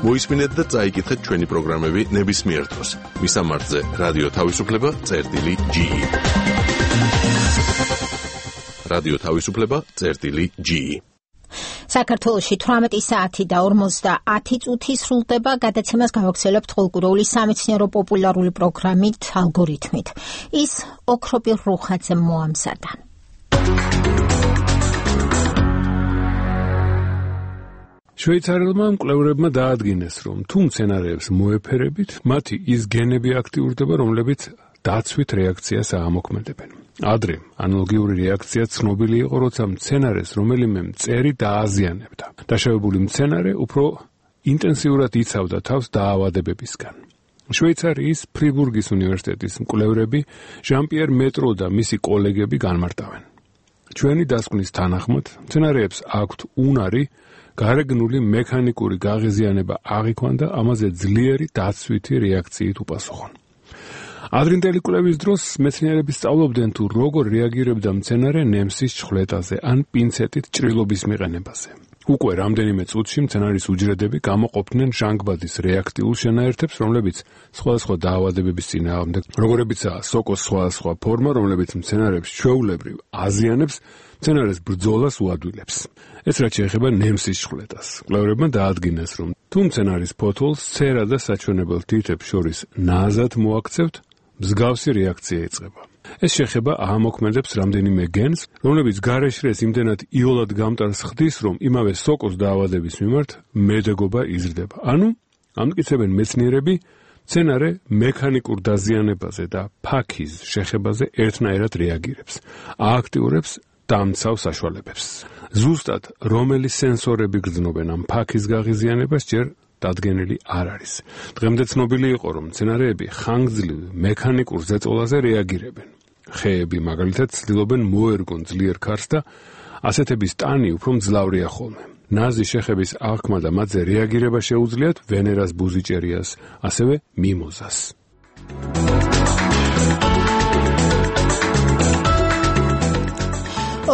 მოისმინეთ და წაიკითხეთ ჩვენი პროგრამები ნებისმიერ დროს. მისამართზე რადიო თავისუფლება.ge. რადიო თავისუფლება.ge. საქართველოში 18 საათი და 50 წუთი სრულდება გადაცემას გავაგრძელებთ ყოველკვირეული სამეცნიერო პოპულარული პროგრამით ალგორითმით. ის ოქროპირ რუხაძემ მოამზადა. შვეიცარიელმა მკვლევრებმა დაადგინეს, რომ თუ მცენარეებს მოეფერებით, მათი ის გენები აქტიურდება, რომლებიც დაცვით რეაქციას აამოქმედებენ. ადრე ანალოგიური რეაქცია ცნობილი იყო, როცა მცენარეს რომელიმე მწერი დააზიანებდა. დაშავებული მცენარე უფრო ინტენსიურად იცავდა თავს დაავადებებისგან. შვეიცარიის ფრიბურგის უნივერსიტეტის მკვლევრები ჟან-პიერ მეტრო და მისი კოლეგები განმარტავენ. ჩვენი დასკვნის თანახმად, მცენარეებს აქვთ უნარი გარეგნული მექანიკური გაღიზიანება აღიქვან და ამაზე ძლიერი დაცვითი რეაქციით უპასუხონ. ადრინდელი კვლევის დროს მეცნიერები სწავლობდნენ თუ როგორ რეაგირებდა მცენარე ნემსის ჩხვლეტაზე ან პინცეტით ჭრილობის მიყენებაზე. უკვე რამდენიმე წუთში მცენარის უჯრედები გამოყოფდნენ ჟანგბადის რეაქტიულ შენაერთებს, რომლებიც სხვადასხვა დაავადებების წინააღმდეგ, როგორებიცაა სოკოს სხვადასხვა ფორმა, რომლებიც მცენარებს ჩვეულებრივ აზიანებს, მცენარეს ბრძოლას უადვილებს. ეს რაც შეეხება ნემსის ჩხვლეტას. მკვლევრებმა დაადგინეს, რომ თუ მცენარის ფოთოლს ცერა და საჩვენებელ თითებს შორის ნაზად მოაქცევთ, მსგავსი რეაქცია იწყება. ეს შეხება აამოქმედებს რამდენიმე გენს, რომლებიც გარეშრეს იმდენად იოლად გამტარს ხდის, რომ იმავე სოკოს დაავადების მიმართ მედეგობა იზრდება. ანუ ამტკიცებენ მეცნიერები, მცენარე მექანიკურ დაზიანებაზე და ფაქის შეხებაზე ერთნაირად რეაგირებს. ააქტიურებს დამცავ საშუალებებს. ზუსტად რომელი სენსორები გრძნობენ ამ ფაქის გაღიზიანებას ჯერ დადგენილი არ არის. დღემდე ცნობილი იყო, რომ მცენარეები ხანგრძლივ მექანიკურ ზეწოლაზე რეაგირებენ. ხეები მაგალითად ცდილობენ მოერგონ ძლიერ ქარს და ასეთების ტანი უფრო მძლავრია ხოლმე. ნაზი შეხების აღქმა და მათზე რეაგირება შეუძლიათ ვენერას ბუზიჭერიას, ასევე მიმოზას.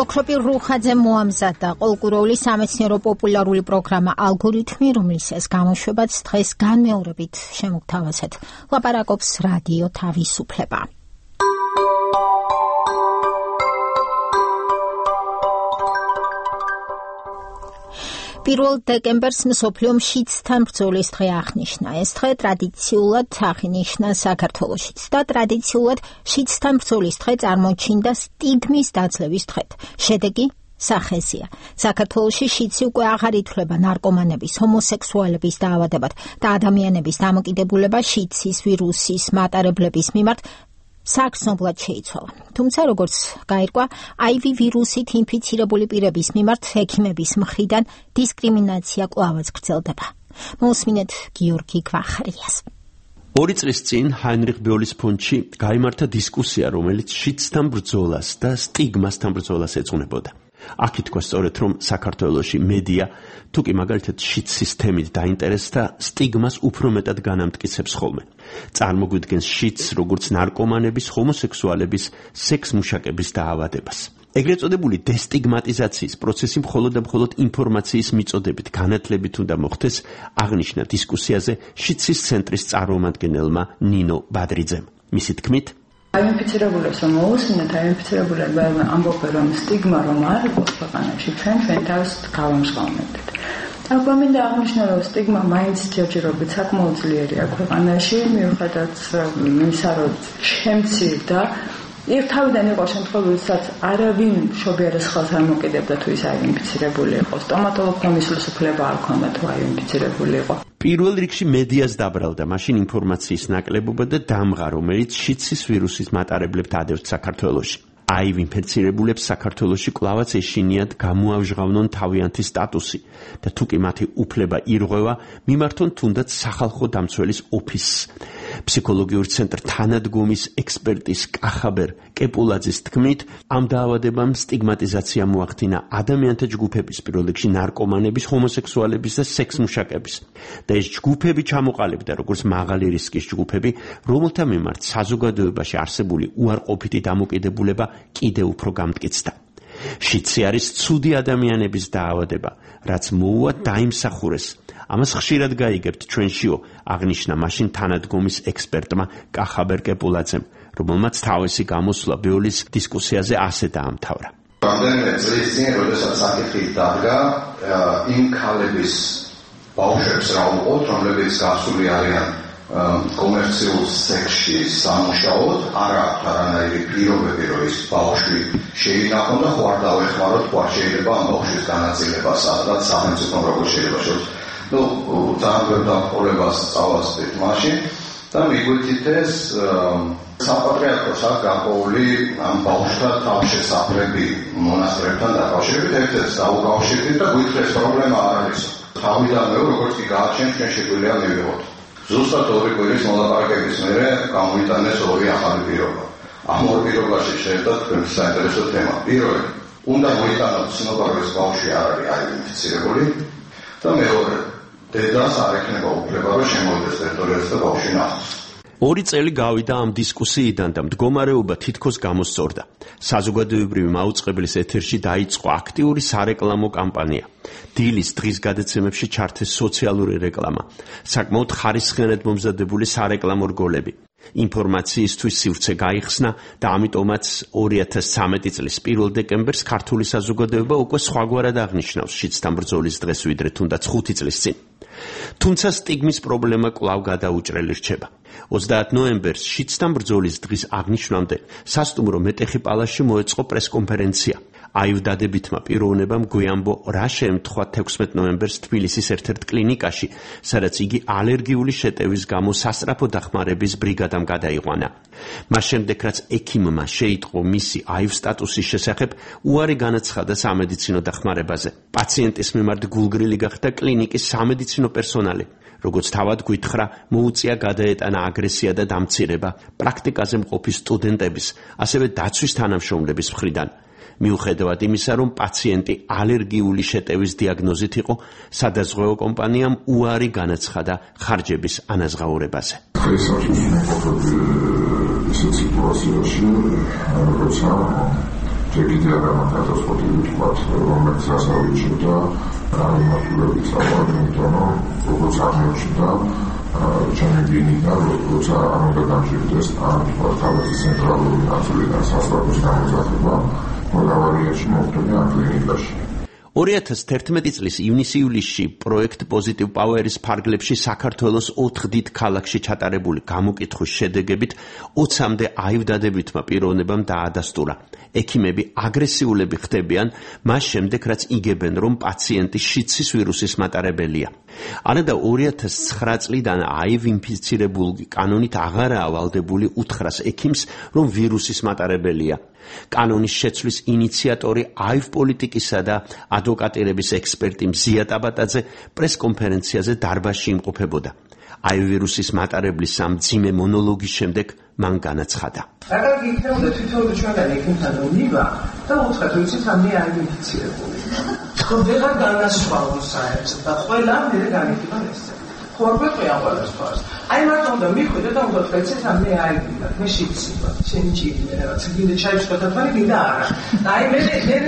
ოქროპირ რუხაძემ მოამზადა ყოველკვირეული სამეცნიერო პოპულარული პროგრამა ალგორითმი, რომელსაც გამოშვებაც დღეს განმეორებით შემოგთავაზეთ. ლაპარაკობს რადიო თავისუფლება. პირველ დეკემბერს მსოფლიო მშიცთან ბრძოლის დღე აღნიშნა. ეს დღე ტრადიციულად აღინიშნა საქართველოშიც და ტრადიციულად მშიცთან ბრძოლის დღე წარმოჩინდა სტიგმის დაძლევის დღედ. შედეგი სახეზია. საქართველოში შიცი უკვე აღარ ითვლება ნარკომანების, ჰომოსექსუალების დაავადებად და ადამიანების დამოკიდებულება შიცის ვირუსის მატარებლების მიმართ საგრძნობლად შეიცვალა. თუმცა, როგორც გაირკვა, IV ვირუსით ინფიცირებული პირების მიმართ ექიმების მხრიდან დისკრიმინაცია კვლავაც გრძელდება. მოусმინეთ გიორგი გვახარიას. 2 წლის წინ ჰაინრიხ ბეოლის ფონდში გაიმართა დისკუსია, რომელიც შიცთან ბრძოლას და სტიგმასთან ბრძოლას ეძღვნებოდა. აქ ითქვა სწორედ, რომ საქართველოში მედია თუ კი მაგალითად შიც სისტემით დაინტერესდა, სტიგმას უფრო მეტად განამტკიცებს ხოლმე. წარმოგვიდგენს შიც როგორც ნარკომანების, ჰომოსექსუალების, სექს-მუშაკების დაავადებას. ეგრეთ წოდებული დესტიგმატიზაციის პროცესი მხოლოდ და მხოლოდ ინფორმაციის მიწოდებით, განათლებით უნდა მოხდეს, აღნიშნა დისკუსიაზე შიცის ცენტრის წარმომადგენელმა ნინო ბადრიძემ. მისი თქმით, აინფიცირებულებს რომ მოусმინოთ, აინფიცირებულები ამბობენ რომ სტიგმა რომ არ იყოს ქვეყანაში, ჩვენ თავს გავამჟღავნებთ. ახლა მინდა აღნიშნო, რომ სტიგმა მაინც ჯერჯერობით საკმაოდ ძლიერია ქვეყანაში, მიუხედავად იმისა, რომ შემცირ და თავიდან იყო შემთხვევები, სადაც არავინ მშობიარეს ხელს არ მოკიდებდა თუ ის აინფიცირებული იყო. სტომატოლოგმა მისვლის უფლება არ ჰქონდა თუ აინფიცირებული იყო. პირველ რიგში მედიას დაბრალდა მაშინ ინფორმაციის ნაკლებობა და დამღა, რომელიც შიცის ვირუსის მატარებლებთ ადევთ საქართველოში. HIV ინფექცირებულებს საქართველოში კვლავაც ეშინიათ გამოავჟღავნონ თავიანთი სტატუსი და თუ კი მათი უფლება ირღვევა, მიმართონ თუნდაც სახალხო დამცველის ოფისს. ფსიქოლოგიურ ცენტრ თანადგომის ექსპერტის კახაბერ კეპულაძის თქმით, ამ დაავადებამ სტიგმატიზაცია მოახდინა ადამიანთა ჯგუფების, პირველ რიგში ნარკომანების, ჰომოსექსუალების და სექსმუშაკების. და ეს ჯგუფები ჩამოყალიბდა როგორც მაღალი რისკის ჯგუფები, რომელთა მიმართ საზოგადოებაში არსებული უარყოფითი დამოკიდებულება კიდევ უფრო გამტკიცდა. შიცი არის ცუდი ადამიანების დაავადება, რაც მოუვა დაიმსახურეს. ამას ხშირად გაიგებთ ჩვენშიო, აღნიშნა მაშინ თანადგომის ექსპერტმა კახაბერ კეპულაძემ, რომელმაც თავისი გამოსვლა ბეოლის დისკუსიაზე ასე დაამთავრა. რამდენიმე წლის წინ, როდესაც საკითხი დადგა, იმ ქალების ბავშვებს რა უყოთ, რომლებიც გასული არიან კომერციულ სექსში სამუშაოდ, არ აქვს არანაირი პირობები, რომ ის ბავშვი შეინახონ და ხო არ დავეხმაროთ, ხო არ შეიძლება ამ ბავშვის განაწილება, სადღაც სახელმწიფო როგორ შეიძლება შევს. ძალიან ბევრ დამყოლებას წავასწრით მაშინ და მიგვიწით ეს საპატრიარქოს აქვს გაყოლი ამ ბავშვთა თავშესაფრები მონასტრებთან დაკავშირებით, ერთ-ერთს დაუკავშირდით და გვითხრეს პრობლემა არ არის. თავიდანვე როგორც კი გააჩენთ, ჩვენ შეგვიძლია მივიღოთ. ზუსტად 2 კვირის მოლაპარაკების მერე გამოიტანეს 2 ახალი პირობა. ამ 2 პირობაში შეერთდა თქვენს საინტერესო თემა. პირველი, უნდა მოიტანოთ ცნობა, რომ ეს ბავშვი არ არის აინფიცირებული და მეორე, დედას არ ექნება უფლება, რომ შემოვიდეს ტერიტორიაზე და ბავშვი ნახოს. 2 წელი გავიდა ამ დისკუსიიდან და მდგომარეობა თითქოს გამოსწორდა. საზოგადოებრივი მაუწყებლის ეთერში დაიწყო აქტიური სარეკლამო კამპანია. დილის დღის გადაცემებში ჩართეს სოციალური რეკლამა, საკმაოდ ხარისხიანად მომზადებული სარეკლამო რგოლები. ინფორმაციისთვის სივრცე გაიხსნა და ამიტომაც 2013 წლის 1 დეკემბერს ქართული საზოგადოება უკვე სხვაგვარად აღნიშნავს შიცთან ბრძოლის დღეს, ვიდრე თუნდაც 5 წლის წინ. თუმცა სტიგმის პრობლემა კვლავ გადაუჭრელი რჩება. 30 ნოემბერს შიცთან ბრძოლის დღის აღნიშვნამდე სასტუმრო მეტეხი პალასში მოეწყო პრესკონფერენცია. HIV დადებითმა პიროვნებამ გვიამბო რა შეემთხვა 16 ნოემბერს თბილისის ერთ-ერთ კლინიკაში, სადაც იგი ალერგიული შეტევის გამო სასწრაფო დახმარების ბრიგადამ გადაიყვანა. მას შემდეგ, რაც ექიმმა შეიტყო მისი HIV სტატუსის შესახებ, უარი განაცხადა სამედიცინო დახმარებაზე. პაციენტის მიმართ გულგრილი გახდა კლინიკის სამედიცინო პერსონალი. როგორც თავად გვითხრა, მოუწია გადაეტანა აგრესია და დამცირება პრაქტიკაზე მყოფი სტუდენტების, ასევე დაცვის თანამშრომლების მხრიდან. მიუხედავად იმისა, რომ პაციენტი ალერგიული შეტევის დიაგნოზით იყო, სადაზღვევო კომპანიამ უარი განაცხადა ხარჯების ანაზღაურებაზე. ისეთ სიტუაციაში, როცა ჯერ არა კატასტროფული თქვათ, რომელიც ასავიჭდა გამართულებით წავალი, იმიტომ რომ როგორც აღმოჩნდა, ჩემი გინდა, როცა არ უნდა დამჭირდეს ამ თავის ცენტრალური ნაწილიდან სასწრაფოს გამოძახება, მოგავარიაში მოხდა კლინიკაში. 2011 წლის ივნის-ივლისში პროექტ პოზიტივ პაუერის ფარგლებში საქართველოს 4 დიდ ქალაქში ჩატარებული გამოკითხვის შედეგებით 20-მდე HIV დადებითმა პიროვნებამ დაადასტურა. ექიმები აგრესიულები ხდებიან მას შემდეგ, რაც იგებენ, რომ პაციენტი შიცის ვირუსის მატარებელია. არადა 2009 წლიდან HIV ინფიცირებული კანონით აღარაა ვალდებული უთხრას ექიმს, რომ ვირუსის მატარებელია. კანონის შეცვლის ინიციატორი HIV პოლიტიკისა და ადვოკატირების ექსპერტი მზია ტაბატაძე პრესკონფერენციაზე დარბაზში იმყოფებოდა. HIV ვირუსის მატარებლის ამ მძიმე მონოლოგის შემდეგ მან განაცხადა. რადგან იქნებოდა თვითონ ჩვენგან ექიმთან უნება და უთხრათ, რომ იცით ამ HIV ინფიცირებული. ხო ვეღარ განასხვავო საერთოდ და ყველა მერე განიხილა ეს. ხო არ გვეყვია ყველასთვის. აი მარტო უნდა მიხვიდე და უნდა თქვა, იცით ამ HIV-ია, მე შევცება, შენი ჭირია, რაც გინდა ჩაის შეთანხმება, გინდა არა. და აი მე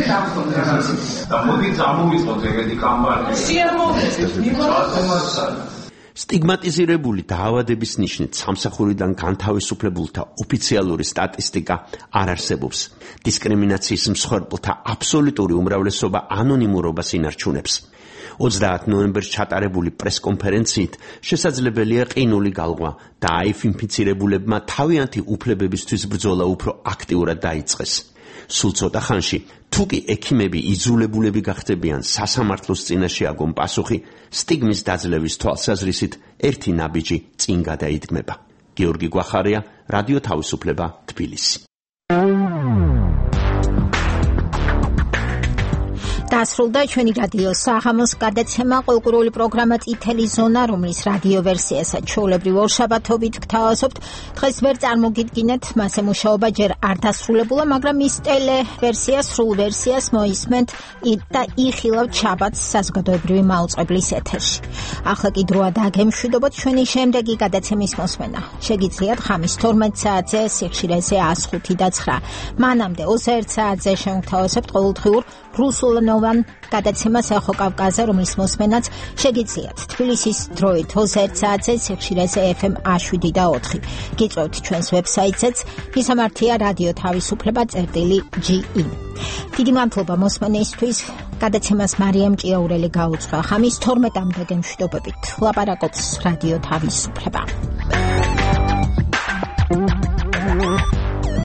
დავხონდა რაღაცა. და მოდი წამოვიწყოთ ეგეთი კამპანია. სიამოვნებით, მიგონებთ. სტიგმატიზირებული დაავადების ნიშნით სამსახურიდან განთავისუფლებულთა ოფიციალური სტატისტიკა არ არსებობს. დისკრიმინაციის მსხვერპლთა აბსოლუტური უმრავლესობა ანონიმურობას ინარჩუნებს. 30 ნოემბერს ჩატარებული პრესკონფერენციით შესაძლებელია ყინული გალღვა და აიფ ინფიცირებულებმა თავიანთი უფლებებისთვის ბრძოლა უფრო აქტიურად დაიწყეს. სულ ცოტა ხანში, თუ კი ექიმები იძულებულები გახდებიან სასამართლოს წინაშე აგონ პასუხი, სტიგმის დაძლევის თვალსაზრისით ერთი ნაბიჯი წინ გადაიდგმება. გიორგი გვახარია, რადიო თავისუფლება, თბილისი. დასრულდა ჩვენი რადიო საღამოს გადაცემა კულტურული პროგრამა წითელი ზონა, რომლის რადიო ვერსიასაც ჩვეულებრივ ორშაბათობით გთავაზობთ. დღეს ვერ წარმოგიდგინეთ, მასზე მუშაობა ჯერ არ დასრულებულა, მაგრამ ის ტელე ვერსია, სრულ ვერსიას მოისმენთ და იხილავთ შაბათს საზოგადოებრივი მაუწყებლის ეთერში. ახლა კი დროა დაგემშვიდობოთ ჩვენი შემდეგი გადაცემის მოსმენა. შეგიძლიათ ხამის 12 საათზე სიხშირეზე 105 და 9. მანამდე 21 საათზე შევთავაზებთ ყოველდღიურ რუსულენოვან გადაცემას ახო კავკაზე, რომლის მოსმენაც შეგიძლიათ თბილისის დროით 21 საათზე სიხშირეზე FM 7 და 4. გიწევთ ჩვენს ვებსაიტზეც, მისამართია რადიო თავისუფლება.ge. დიდი მადლობა მოსმენისთვის. გადაცემას მარიამ ჭიაურელი გაუძღვა. ხამის 12-მდე გემშვიდობებით. ლაპარაკობს რადიო თავისუფლება.